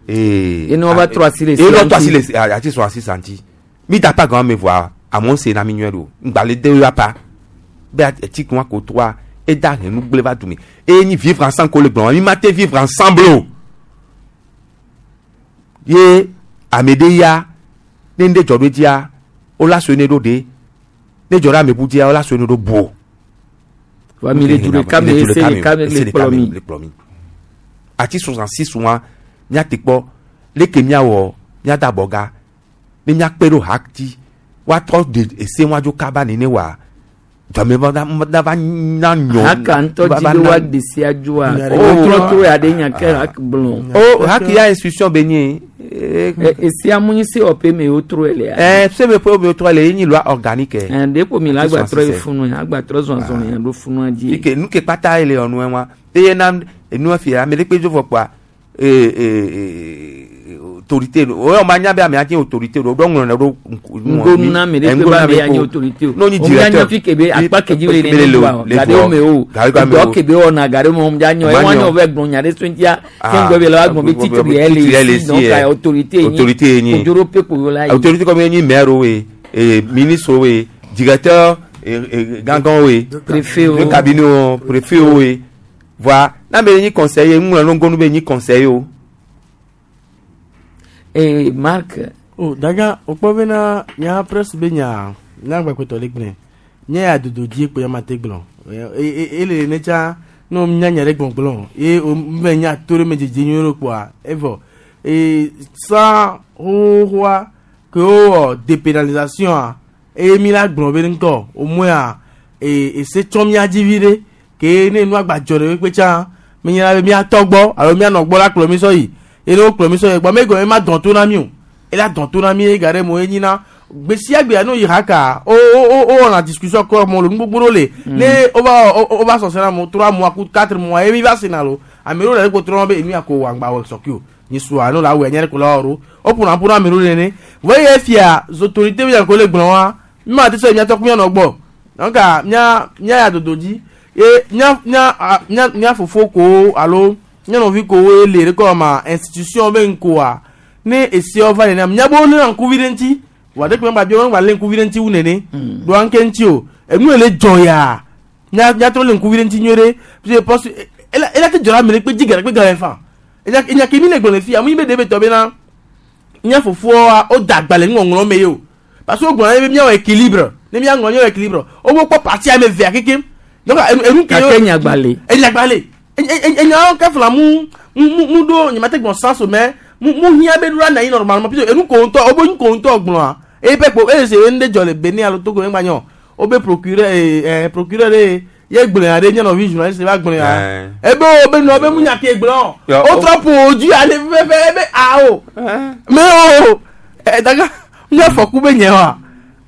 Ye ne woava trɔ asi le Ye sia ne wotrɔ asi ŋuti. le ati sɔ asi santi. Mi da pa gan me voa amewo se na mi nyuie ɖo. Ŋgbalẽ de ya pa. Be ati kun ko toa eda he nu gblẽ va du me. Eye nyi vivre ensemble ko le gblɔ mi ma te vivre ensemble o. Ye ame ɖe ya ne ŋɖe dzɔ ɖo dzia wola sue ne ɖo ɖe ne dzɔ ɖe ame bu dzia wola sue ne ɖo bu o. Wa mi le du ɖeka me, ese ɖeka me le kplɔ mi. Le kplɔ mi. Ati 66 wa míate kpɔ leke míawɔ míada abɔga ne míakpe ɖo ha dzi woatrɔ de ese wa dzo kaba nene wa dzɔme va na va na nyɔ. Haka ŋutɔ va dzi va be na- woaɖe sia dzoa. Oh. Wotrɔ to ya ɖe nya ke hak gblɔ. O haki ya institution be nye. Esia mu nyi se wɔƒe me wotrɔe lea. Se me ƒe me wotrɔ le ye nyi loi organique. Ɖe ko mi la Ati agba trɔ yi 66. funu ya agba trɔ zɔzɔ ya ɖo funua dzi. Ike nu ke kpata ye le ɔnu wa eye na enua fia ame ɖe kpe dzo vɔ kpoa Autorité o yɔ ma nya be amea nye autorité o ɖo ŋlɔ ne ɖo Ŋgonu na ame ɖe kpe be ame ya nye autorité o. N'o nyi O mia nya directeur fi ke be akpa ke dzi le ne doa o. le Ga ɖewo me o. Ga ɖewo me Edɔ o. ke be wɔna ga ɖewo me o mia nyɔ. Ma Ewa nyɔ. nyɔ vɛ gblɔ nya ɖe so ŋutia. Ah, Ke ŋgɔ be la wa gblɔ be titre yɛ titre yɛ le le si si donc yɛ. ka autorité ye nyi. Autorité ye nyi. Kodzoro pe ko la yi. Autorité comme ye nyi maire o ye ministre o ye directeur gãgã o ye Préfet o. de cabinet o préfet o ye voa n'ame nyi conseiller ŋlɔ ne ŋgonu be nyi conseiller o. Ee Marc. O daga o kpɔ bena nya presse be nya nya gbɛkpɛtɔ le gblẽ nye ya dodo dzi kpo ya ma te gblɔ ele ne tsa ne o nya nya ɖe gbɔgblɔ ye o me nya to ɖe me dzedze nyuie ɖo kpoa evɔ ee san xoxoa ke wowɔ dépénalisation a eye mi la gblɔ be ŋkɔ o mɔa ee ese tsɔ mía dzi vi ɖe ke ne nua gba dzɔ ɖe kpe tsã mi nya be mía tɔ gbɔ alo mía nɔ gbɔ la kplɔ mi sɔ yi eye ne wo kplɔ mi sɔ yi gbɔ me gɔme ma dɔn to na mi o ela dɔn to na mi ye ga ɖe mo ye nyina gbe sia gbea ne wo yi haka o o o o wɔna discussion kɔ mo le nu gbogbo ɖewo le ne o va o o va sɔsɛ na mo trois mois ku quatre mois ye mi va se na lo ame ɖewo le ɖe ko trɔ be enu ya ko wɔ aŋgba wɔ sɔki o nyisua no la wɔ enye ɖe ko la wɔ ɖo o ƒona ƒo na ame ɖewo nene vɔ ye fia autorité bi ko le gblɔ wa mi ma te sɔ miatɔ ku mianɔ gbɔ donc mía mía ya dodo dzi ye mía mía a mía mía fofo kowo alo mía nɔvi kowo ye le ɖe kɔ ma institution be ŋkoa ne esiawo va nene míabe wo lé ŋkuvi ɖe ŋuti wà ɖe kpe ŋgba bi wo ŋgba lé ŋkuvi ɖe ŋuti wu nene ɖo anke ŋuti o enu le dzɔ ya mía míatrɔ lé ŋkuvi ɖe ŋuti nyuie ɖe parce que poste ela ela te dzɔ la ame ɖe kpe dzi gã ɖe kpe gã ɖe fa enya enya ke mi le gblɔ le fia mu yi be ɖe be tɔ bena mía fofoa wo da agba le nuŋɔŋlɔ me ye o parce que wo gblɔ na ye be míawɔ équilibre ne míaŋlɔ míawɔ équilibre wo be kpɔ parti ame evea kekem donc enu enu ke Gake nyagbale. Enyagbale enyawo kefla mu mu mu ɖo nyemate gblɔ sans o mais mu mu hiã be ɖo la na anyi normalement puisque enu ko ŋutɔ wobe nu ko ŋutɔ gblɔa eye pe kpo eye se enu ɖe dzɔ le Benin alo Togo ŋgba nyɔ wobe procureur ee ɛ procureur ɖe ye gblɔe ya ɖe nye nɔvi journaliste va gblɔe ya ebe wo be nɔ be mu nya ke gblɔ Ya, o trɔ ƒo dzi ale fɛfɛ ebe awo me o ɛ daga nye afɔku be nye wa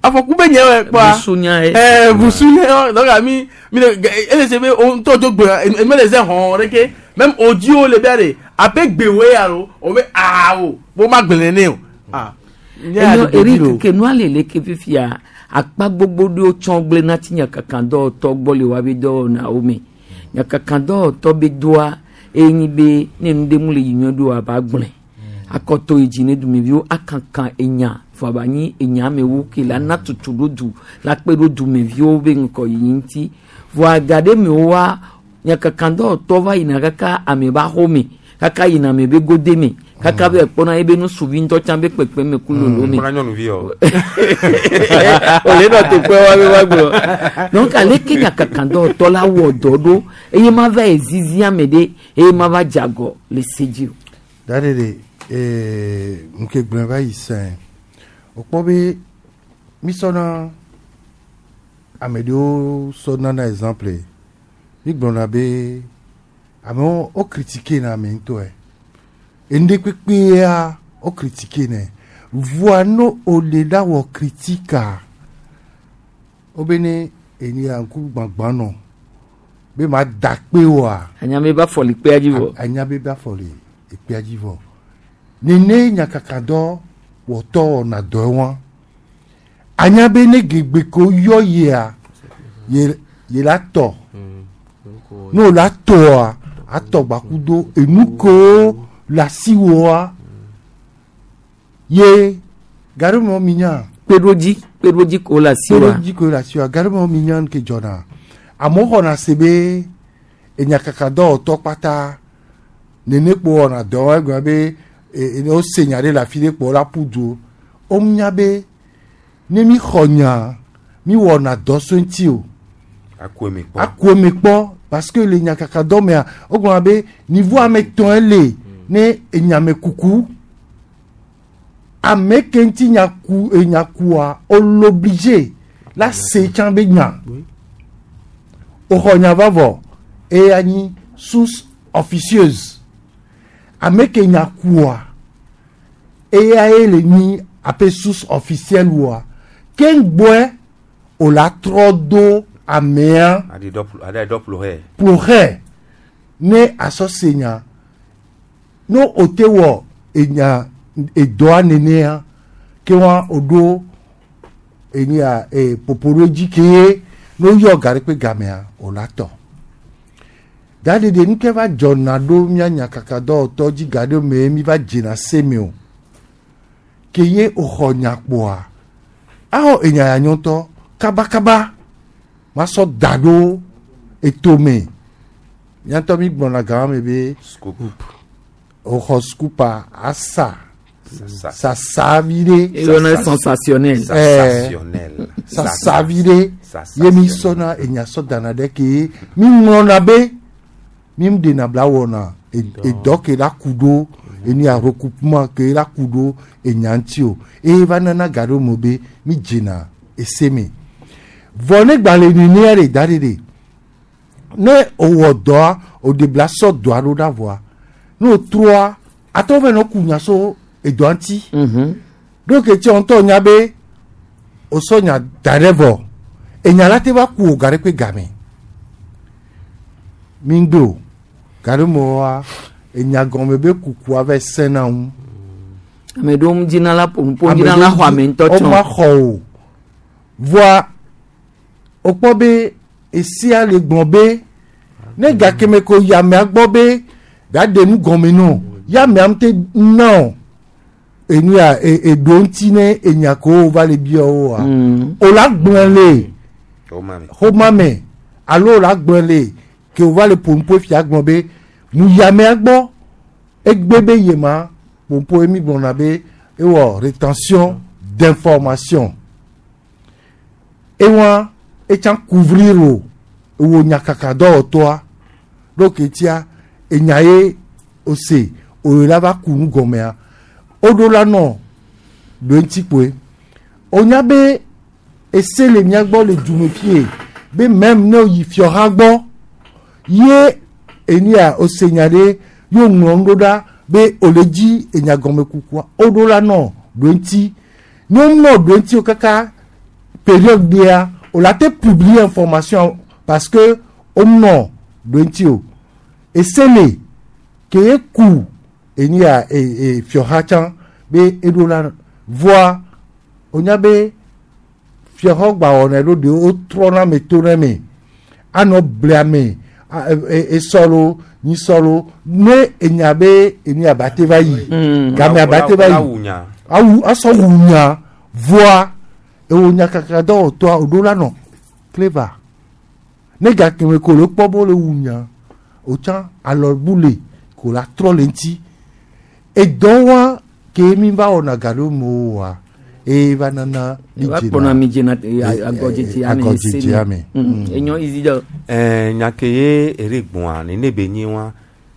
afɔku be nye wa kpɔa Busunya ye. ɛ busunya ye donc mi mi le ele se be o ŋutɔ dzo gblɔ eme le ze hɔn ɖeke même o dziwo le bia de abe gbewoe alo o be awo bo ma gblẽ ne o ah nye ya Enyo dodo dzi lo. Eric ke nua le leke fifia akpa gbogbo ɖewo tsɔ gblẽ na ti nyakakadɔwɔtɔ gbɔ le woabe dɔwɔnawo me. Nyakakadɔwɔtɔ be doa eye nyi be ne nu ɖe mu le yi nyuie ɖo aba gblẽ. Akɔtɔ yi dzi ne dumeviwo akaka enya fɔ aba nyi enya amewo ke la na tutu ɖo du la kpe ɖo dumeviwo be ŋgɔyiyi ŋuti. Vɔa ga ɖe mewo wa nyakakadɔwɔtɔ va yina kaka ame ba xɔ kaka yina ame be gode me kaka be kpɔna ebe nusuvi ŋutɔ tsã be kpekpe me ku lolo me. Kpɔna nyɔnuvi o. Ole nɔ teƒe wa be wa gblɔ. Donc aleke nyakakadɔwɔtɔ la wɔ dɔ ɖo eye ma va yi zizi ame ɖe eye ma va dze agɔ le se dzi o. Dade de ee nke gblẽ va yi sɛn o kpɔ be mi sɔna ame ɖewo sɔ nana exemple mi gblɔna be amewo wo critique na ame ŋutɔe enu ɖe kpekpea wo critique nɛ voa no o le la wɔ critique wo be ne eni ya ŋku gbãgbã nɔ be ma da kpe oa. Anya be ba fɔ le kpea dzi vɔ. Anya be ba fɔ le ekpea dzi vɔ nene nyakakadɔ wɔtɔ wɔna dɔ wa anya be ne gegbe ko yɔ yia ye ye la tɔ n'o la tɔa atɔ gbakudo enu ko le asiwoa ye gari mɔ mi nya. Kpeɖodzi kpeɖodzi ko le asiwoa. Kpeɖodzi ko le asiwoa gari mɔ mi nya ke dzɔna amewo xɔna se be enyakakadɔwɔtɔ kpata nene kpo wɔna dɔ egblɔ be e ne wose nya ɖe le afi ɖe kpo la ƒu du wo nya be ne mi xɔ nya mi wɔna dɔ so ŋuti o Aku eme kpɔ. aku eme kpɔ parce que le nyakakadɔ mea wogblɔna be niveau ame etɔ̃e le ne enyamekuku ame ke ŋuti nya ku enyakua wo l'obligé la se tsã be nya woxɔ nya va vɔ eye anyi source officieuse ame ke nya kua eya ye le nyi abe source officielle woa ke ŋgbɔe o la trɔ do amea Adi dɔ ƒlo hɛ. ƒo hɛ ne asɔ se nya. No o te wɔ enya edɔa nenea ke wa o ɖo enya e popo ɖo dzi ke ye no yɔ ga ɖe kpe gamea o la tɔ. Gaɖeɖe nu ke va dzɔna ɖo mía nyakaka dɔwɔtɔ dzi ga ɖe me mi va dzena se me o. Ke ye o xɔ nya kpoa axɔ enya ya nyɔtɔ kabakaba ma sɔ da ɖo etome. Míatɔ mi gblɔna gama me be Scoop. o xɔ scoop-a asa sasa vi ɖe. Eyɔna sensationnel. Sensationnel. Sasa vi ɖe ye mi sɔna enya sɔ dana ɖe ke mi ŋlɔna be mi ɖena bla wɔna edɔ ke la ku ɖo enu ya recoupement ke la ku ɖo enya ŋuti o eye va nana ga ɖo me be mi dzena ese me. Vɔ ne gbalẽ nenea ɖe da ɖe ɖe ne o wɔ dɔa o de bla sɔ dɔa ɖo ɖa vɔa ne o trɔa atɔ vɛ nɔ ku nya so edɔa ŋuti. Ɖo ke tsɛ ŋutɔ nya be o sɔ nya da ɖe vɔ enya la te va ku o ga ɖe kpe game mi ŋgbe o ga ɖe me wa enya gɔme be kukua va sẽna ŋu. Ame ɖewo ŋu dzina la ƒo nuƒo dzina la xɔ ame ŋutɔ tsɔ. Woma xɔ o voa o kpɔ be esia le gblɔ be ne gake me ko yi amea gbɔ be ɖaɖe nu gɔme nɔ ya amea ŋute na o enu ya eɖo ŋuti ne enya ko va le bia woa o la gblɔ le xɔma me alo o la gblɔ le ke o va le ƒonuƒo fia gblɔ be mu yi amea gbɔ egbe be yema ƒonuƒo mi gblɔna be ewɔ rétention d'information ewa etsã couvrir o ewo nyakaka dɔwɔtɔa ɖo ke tia enya ye ose oyo la va ku nu gɔmea woɖo la nɔ ɖo ŋuti kpoe wonya be ese le mía gbɔ le dume fie be même ne woyi fiɔha gbɔ ye enu ya ose nya ɖe ye woŋlɔ nu ɖo ɖa be wòle dzi enya gɔme kukua woɖo la nɔ ɖo ŋuti ne wonɔ ɖo ŋuti o kaka période ɖea wòle te publier information parce que wonɔ ɖo ŋuti o ese le ke ye ku enu ya e e fiɔha tsã be eɖo la voa wonya be fiɔha gba wɔnɛ ɖo ɖewo wotrɔna ame to ɖe me anɔ ble ame esɔ lo nyisɔ lo ne enya be enu ya ba te va yi game aba te va yi awu asɔ wu nya voa ewo nyakaka dɔwɔtɔa woɖo la nɔ clever ne gake ko le kpɔ be wole wu nya wotsã alɔbu le ko la trɔ le ŋuti edɔ wa ke mi va wɔna ga ɖo me oa eye va nana mi Va kplɔna mi dzena agɔdzedze ame agɔdzedze ame. Enyo izi dɔ. Ɛɛ nya ke ye ere gbɔa nene be nyi wa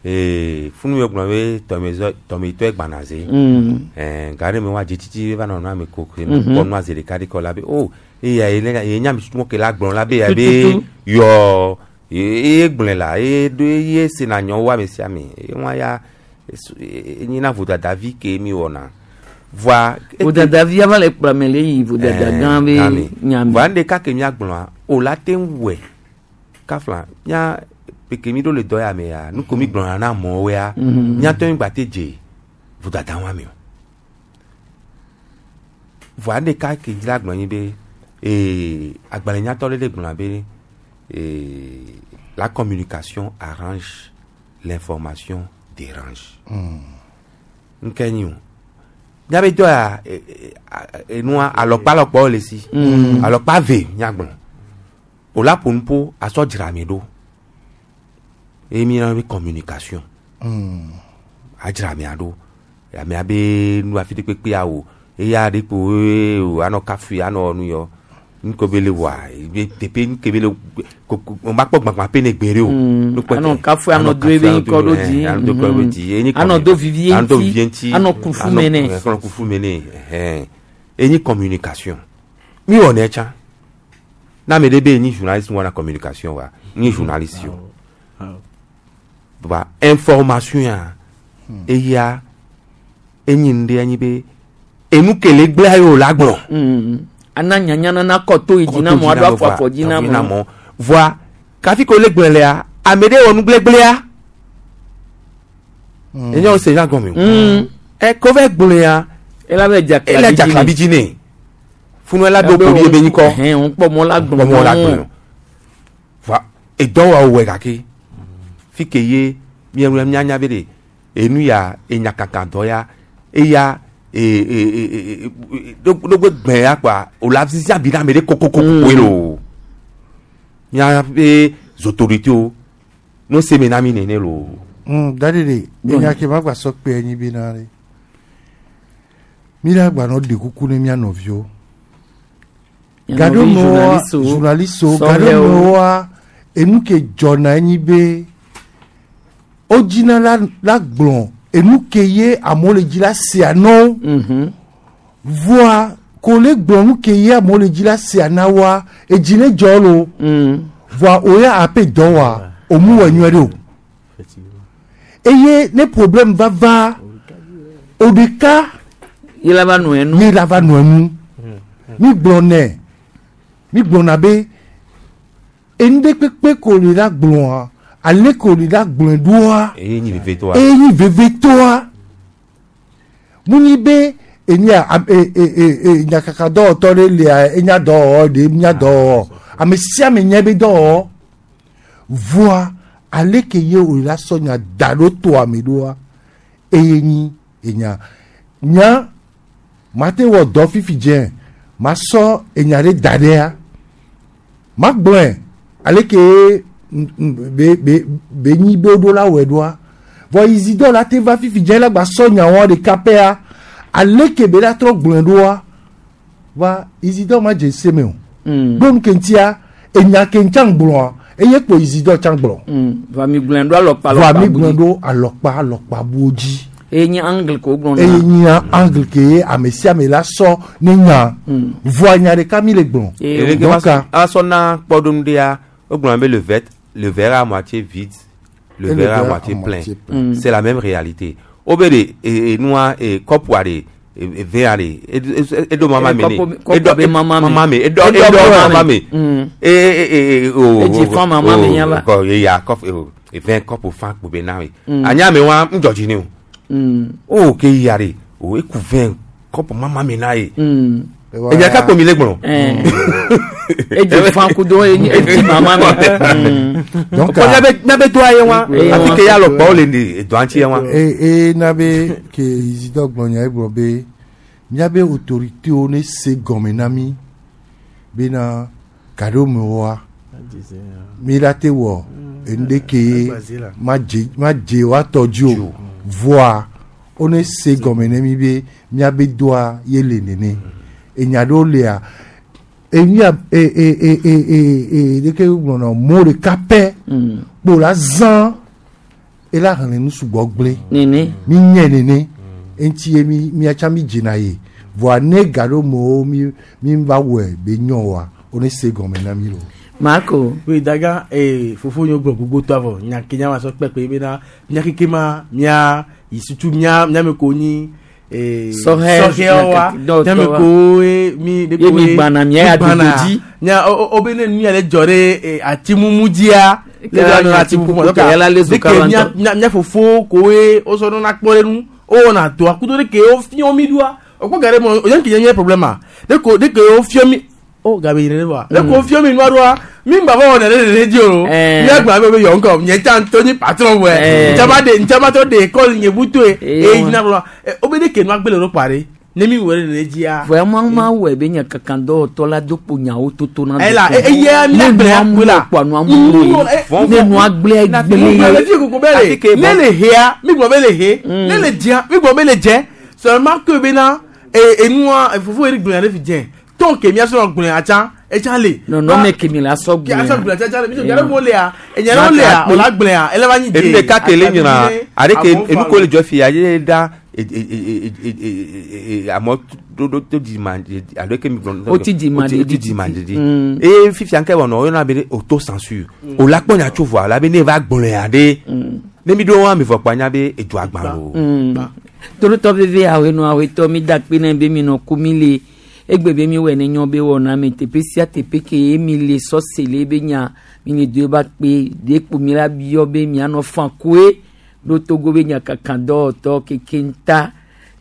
ee funu yɔ gblɔ be tɔmezɔ tɔmetɔ gbana ze. Ɛɛ ga ɖe me wa dzetsitsi va nɔ ame ko ke kpɔ nua zi ɖeka ɖeka la be o eya ye ne ye nya mi tutu ke la gblɔ la be ya be yɔ ye gblɔe la ye do ye sena nyɔwo ame sia ame ye wa ya enyina vodada vi ke mi wɔna voa. Vodada vi ava le kplɔ ame le yi vodada gã be nya me. Voa nu ɖeka ke míagblɔa o la te ŋu wɔe kafla mía peke mi ɖo le dɔ ya me ya nu ko mi gblɔna na amewo ya míatɔ mi gba te dze vodada wa me o voa nu ɖeka ke dzi la gblɔ nyi be ee agbalẽnyatɔ ɖe ɖe gblɔna be ee la communication arrange l'information dérange. Nke nyi o míabe dɔ ya enua alɔkpa alɔkpawo le si alɔkpa ve míagblɔ o la ƒo nuƒo asɔ dzra ame ɖo eye mi yɔna be communication adzra amea ɖo amea be nu afi ɖe kpekpe awo eya ɖe kpo o anɔ kafui anɔ nu yɔ nuke be le wɔa ebe teƒe nuke be le ko o ma kpɔ gbagbã pe ne gbe ɖe o. Nukpɔ Anɔ tɛ. kafui, anɔ do ebe kafui, ŋkɔ ɖo anɔ dzi. anɔ do ŋkɔ ɖo dzi. Enyi Anɔ do vivie anɔ do ŋuti, vivie ŋuti, anɔ kufu me nɛ. anɔ kufu me nɛ ɛhɛn. Enyi communication mi wɔ nɛ tsã na ame ɖe be enyi journaliste wɔna communication wa nyi journaliste o ba information ya eya enyi nu ɖe enyi be enu ke le gblẽa ye o la gblɔ. Ana nyanya nana kɔ to yi dzi na mɔ aɖo afɔ afɔ dzi na mɔ. mɔ voa kafi ko le gblẽ lea ame ɖe wɔ nu gblegblẽa Enye wo se nya gɔme o. Ɛ ko vɛ gblɔe ya. Ela bɛ dzaklabi Ela dzaklabi dzi nɛ. Funu ela do kpo ebe nyikɔ. Ɛhɛn o kpɔ mɔ la gblɔ. Kpɔ mɔ la gblɔ. Va edɔwɔwɔ wɔ gake fi ke ye mienu mianya be de enu ya enyakaka dɔ ya eya e e e e ɖogbe gbɛ ya kpa o la sisi abi na ame ɖe kokoko koe lo mia be autorités no se me na mi nene lo. Dadi de enya ke ma gba sɔ kpe enyi bi na ɖe mi la gba nɔ ɖe kuku ne mia nɔviwo Mia nɔvi journalistewo, journalistewo sɔhɛwo. gaɖomewoa enu ke dzɔna enyi be wodzina la la gblɔ enu ke ye amewo le dzi la sea nɔwo voa ko le gblɔ nu ke ye amewo le dzi la sea na woa edzi ne dzɔ lo voa o ya ape dɔ wa o mu wɔ nyuie ɖe o eye ne problème va va o ɖeka ye la va nɔ enu ye la va nɔ enu mi gblɔ nɛ mi gblɔna be enu ɖe kpekpe ko le la gblɔa ale ko le la gblɔe ɖoa eye nyi vevitɔa. eye nyi vevitɔa mu nyi be enya am- e e e e nyakaka dɔwɔtɔ ɖe lia enya dɔwɔwɔ ɖe nya dɔwɔwɔ ame sia ame nya be dɔwɔwɔ voa ale ke ye o la sɔ nya da ɖo toa me ɖoa eye nyi enya nya mate wɔ dɔ fifi dze ma sɔ enya ɖe da ɖea ma gblɔe ale ke be be be nyi be woɖo la wɔe ɖoa vɔ izidɔ la te va fifi dze la gba sɔ nyawoa ɖeka pɛa ale ke be la trɔ gblɔe ɖoa va izidɔ ma dze se me o ɖo nu ke ŋutia enya ke ŋutia gblɔa eye kpo izidɔ tsã gblɔ va mi gblɔe ɖo alɔkpa voa alɔkpa mi bu gblɔe dzi. ɖo alɔkpa alɔkpa buwo dzi eye nye angle ko gblɔ na. eye nyia angle ke ye ame sia ame la sɔ ne nya voa nya ɖeka mi le gblɔ Eleke donc va sɔ na kpɔɖonu ɖea wogblɔna be le verre le verre à moitié vide le Et verre à moitié plein moitié plein. c'est la même réalité wobe de e enua e kɔpua de e verre de eɖo mama me ne Kɔpu be mama me. mama me eɖɔ Eɖɔ eɖɔ mama mama me. me e e e o Edzi fa mama me nya va. kɔ eya kɔpu o vin kɔpu fa kpo be na we anya me wa ŋdzɔdzi ne o o ke yia de o eku vin kɔpu mama me na ye enya ka kpo mi le gblɔ. Edzi fa kudo edzi mama me. Donc, Kɔ miabe doa ye wa Ye wa. afi ke ya lɔ kpɔ le ne doa ŋuti ye wa. e e na be ke izidɔ gblɔ nya egblɔ be miabe autoritéwo ne se gɔme na mi bena gaɖomewoa mi la te wɔ enu ɖe ke ye ma dze ma dze woatɔ dzi o voa wo ne se gɔme ne mi be miabe doa ye le nene enya ɖewo lia enya e e e e e e ɖeke gblɔna mo ɖeka pɛ kpo la zã ela xlẽ nu sugbɔ gblẽ nene mi nye nene eŋuti ye mi miatsa mi dzena ye voa ne gaɖomewo mi mi va wɔe be nyɔ wa wo ne se gɔme na mi lo. Marco. Oui, daga eh fofo nyo gblɔ gbogbo to avɔ nya ke nya ma sɔ kpekpe bena mia keke ma mia yi sutu mia mia me ko nyi eh Sɔhɛ, sɔhɛwo wa dɔwɔtɔ mia me wa. ko ye mi de Ye ko mi gbana mia ya gbana. dodo dzi. nya o o be ne nu ya le dzɔ ɖe eh, ati mumu dzia le Ke la ɖe nye ati mumu ati kuku, ke la le de ke zo mia kaba mia mia fofo koe wosɔ nana kpɔ ɖe nu wowɔna toa kudo ɖe ke wofiɔ mi ɖoa okpɔ ga ɖe me o yan ke nye problème a de ko de ke wofiɔ mi o gabe yi ɖe wa de ko wofiɔ mi nua ɖoa mi ŋgba va wɔna ɖe ɖe dzi o Eh. mi agba be be yɔ ŋkɔ nye tsa ŋutɔ nyi patron wɛ Eh. ntsama de ntsama tɔ de école nye butoe Eh, eye wa. yina gblɔ o be de ke nua gbe le ɖo kpa ɖe ne mi wɔ ɖe ɖe dzia Vɔa ma ma wɔe be nya kankan dɔwɔtɔ la do kpo nyawo toto na. Ela, e- eye mi ne agblẽ nua akpɔ la. mu kpɔ nua mu ye ne nua gblẽ gblẽ le fi koko bɛ le ne le hea mi gbɔ bɛ le he ne le dzia mi gbɔ bɛ le dzɛ seulement que bena e enua fofo yɛrɛ gblẽ ɖe fi dzɛ tɔn ke mia sɔrɔ gblẽ atsa etsa le. Nɔnɔme ke mi la sɔ Ke asɔ gblẽ gblẽ. atsa etsa le mi sɔ gblẽ mo lea enya ɖewo lea o la gblẽa ele va nyi dze. enu ɖeka ke le nyina are ke Abɔnfa enu ko le dzɔ fia ye da e e e e e e amɔ do do do di ma alo ke mi gblɔ. O ti di ma o ti ɖeɖi. di ma ɖeɖi. Mm. eye fifia ŋkɛ wɔnɔ oyɔna be auto censure o la kpɔ nya tso voa la be ne va gblɔe aɖe ne mi ɖo ame vɔ kpɔ anya be edzo agba o. Torotɔ veve awenu awetɔ mi da kpe ne be mi nɔ ku mi le egbe be mi wɔ ne nyɔ be wɔna me teƒe sia teƒe ke ye mi le sɔse le be nya mi le do eba kpe de kpo mi la biɔ be mianɔ fan koe Ɖo Togo be nyakakadɔwɔtɔ keke ŋta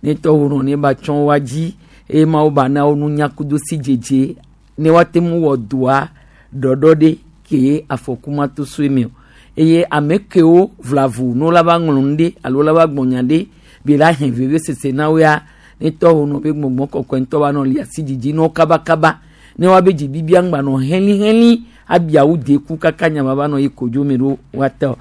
ne tɔhonɔ ne ba tsɔ wa dzi eye Mawu ba na wo nunya kudo sidzedze ne woate ŋu wɔ dɔa ɖɔɖɔ ɖe ke afɔku ma to so eme o. Eye ame kewo vlavo ne wola va ŋlɔ nu ɖe alo wola va gblɔ nya ɖe be la hɛn vevesese na wo ya ne tɔhonɔ be gbɔgbɔ kɔkɔe ŋutɔ va nɔ li asi dzidzi na wo kabakaba ne woabe dzibibia ŋgba nɔ helĩhelĩ abiawo deku kaka nyama va nɔ yi kodzo me ɖo woate o.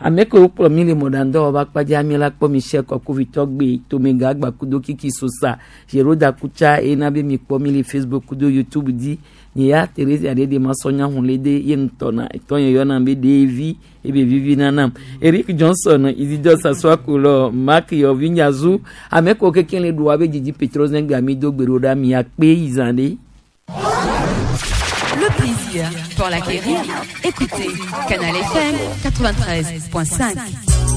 Ame kewo kplɔ mi le mɔɖaŋdɔwɔƒe akpadza mi la kpɔ Michel Kɔkovitɔ gbe Tomega Agbakudo Kiki Sosa Jeroda Kutsa eye na be mi kpɔ mi le Facebook kudo YouTube dzi. Nye ya Theresia ɖe ɖe masɔ nya hun le de ye ŋutɔ na etɔ nye yɔna be ɖevi ebe vivi nanam. Eric Johnson, Isidore Sasuakulɔ, Mark Yɔvi Nyazu, ame kewo kekeŋ le ɖua be dzidzi Petro Zengbe mi do gbe ɖo ɖa mia kpe yi zã ɖe. Le plaisir pour l'acquérir. Écoutez Canal FM 93.5.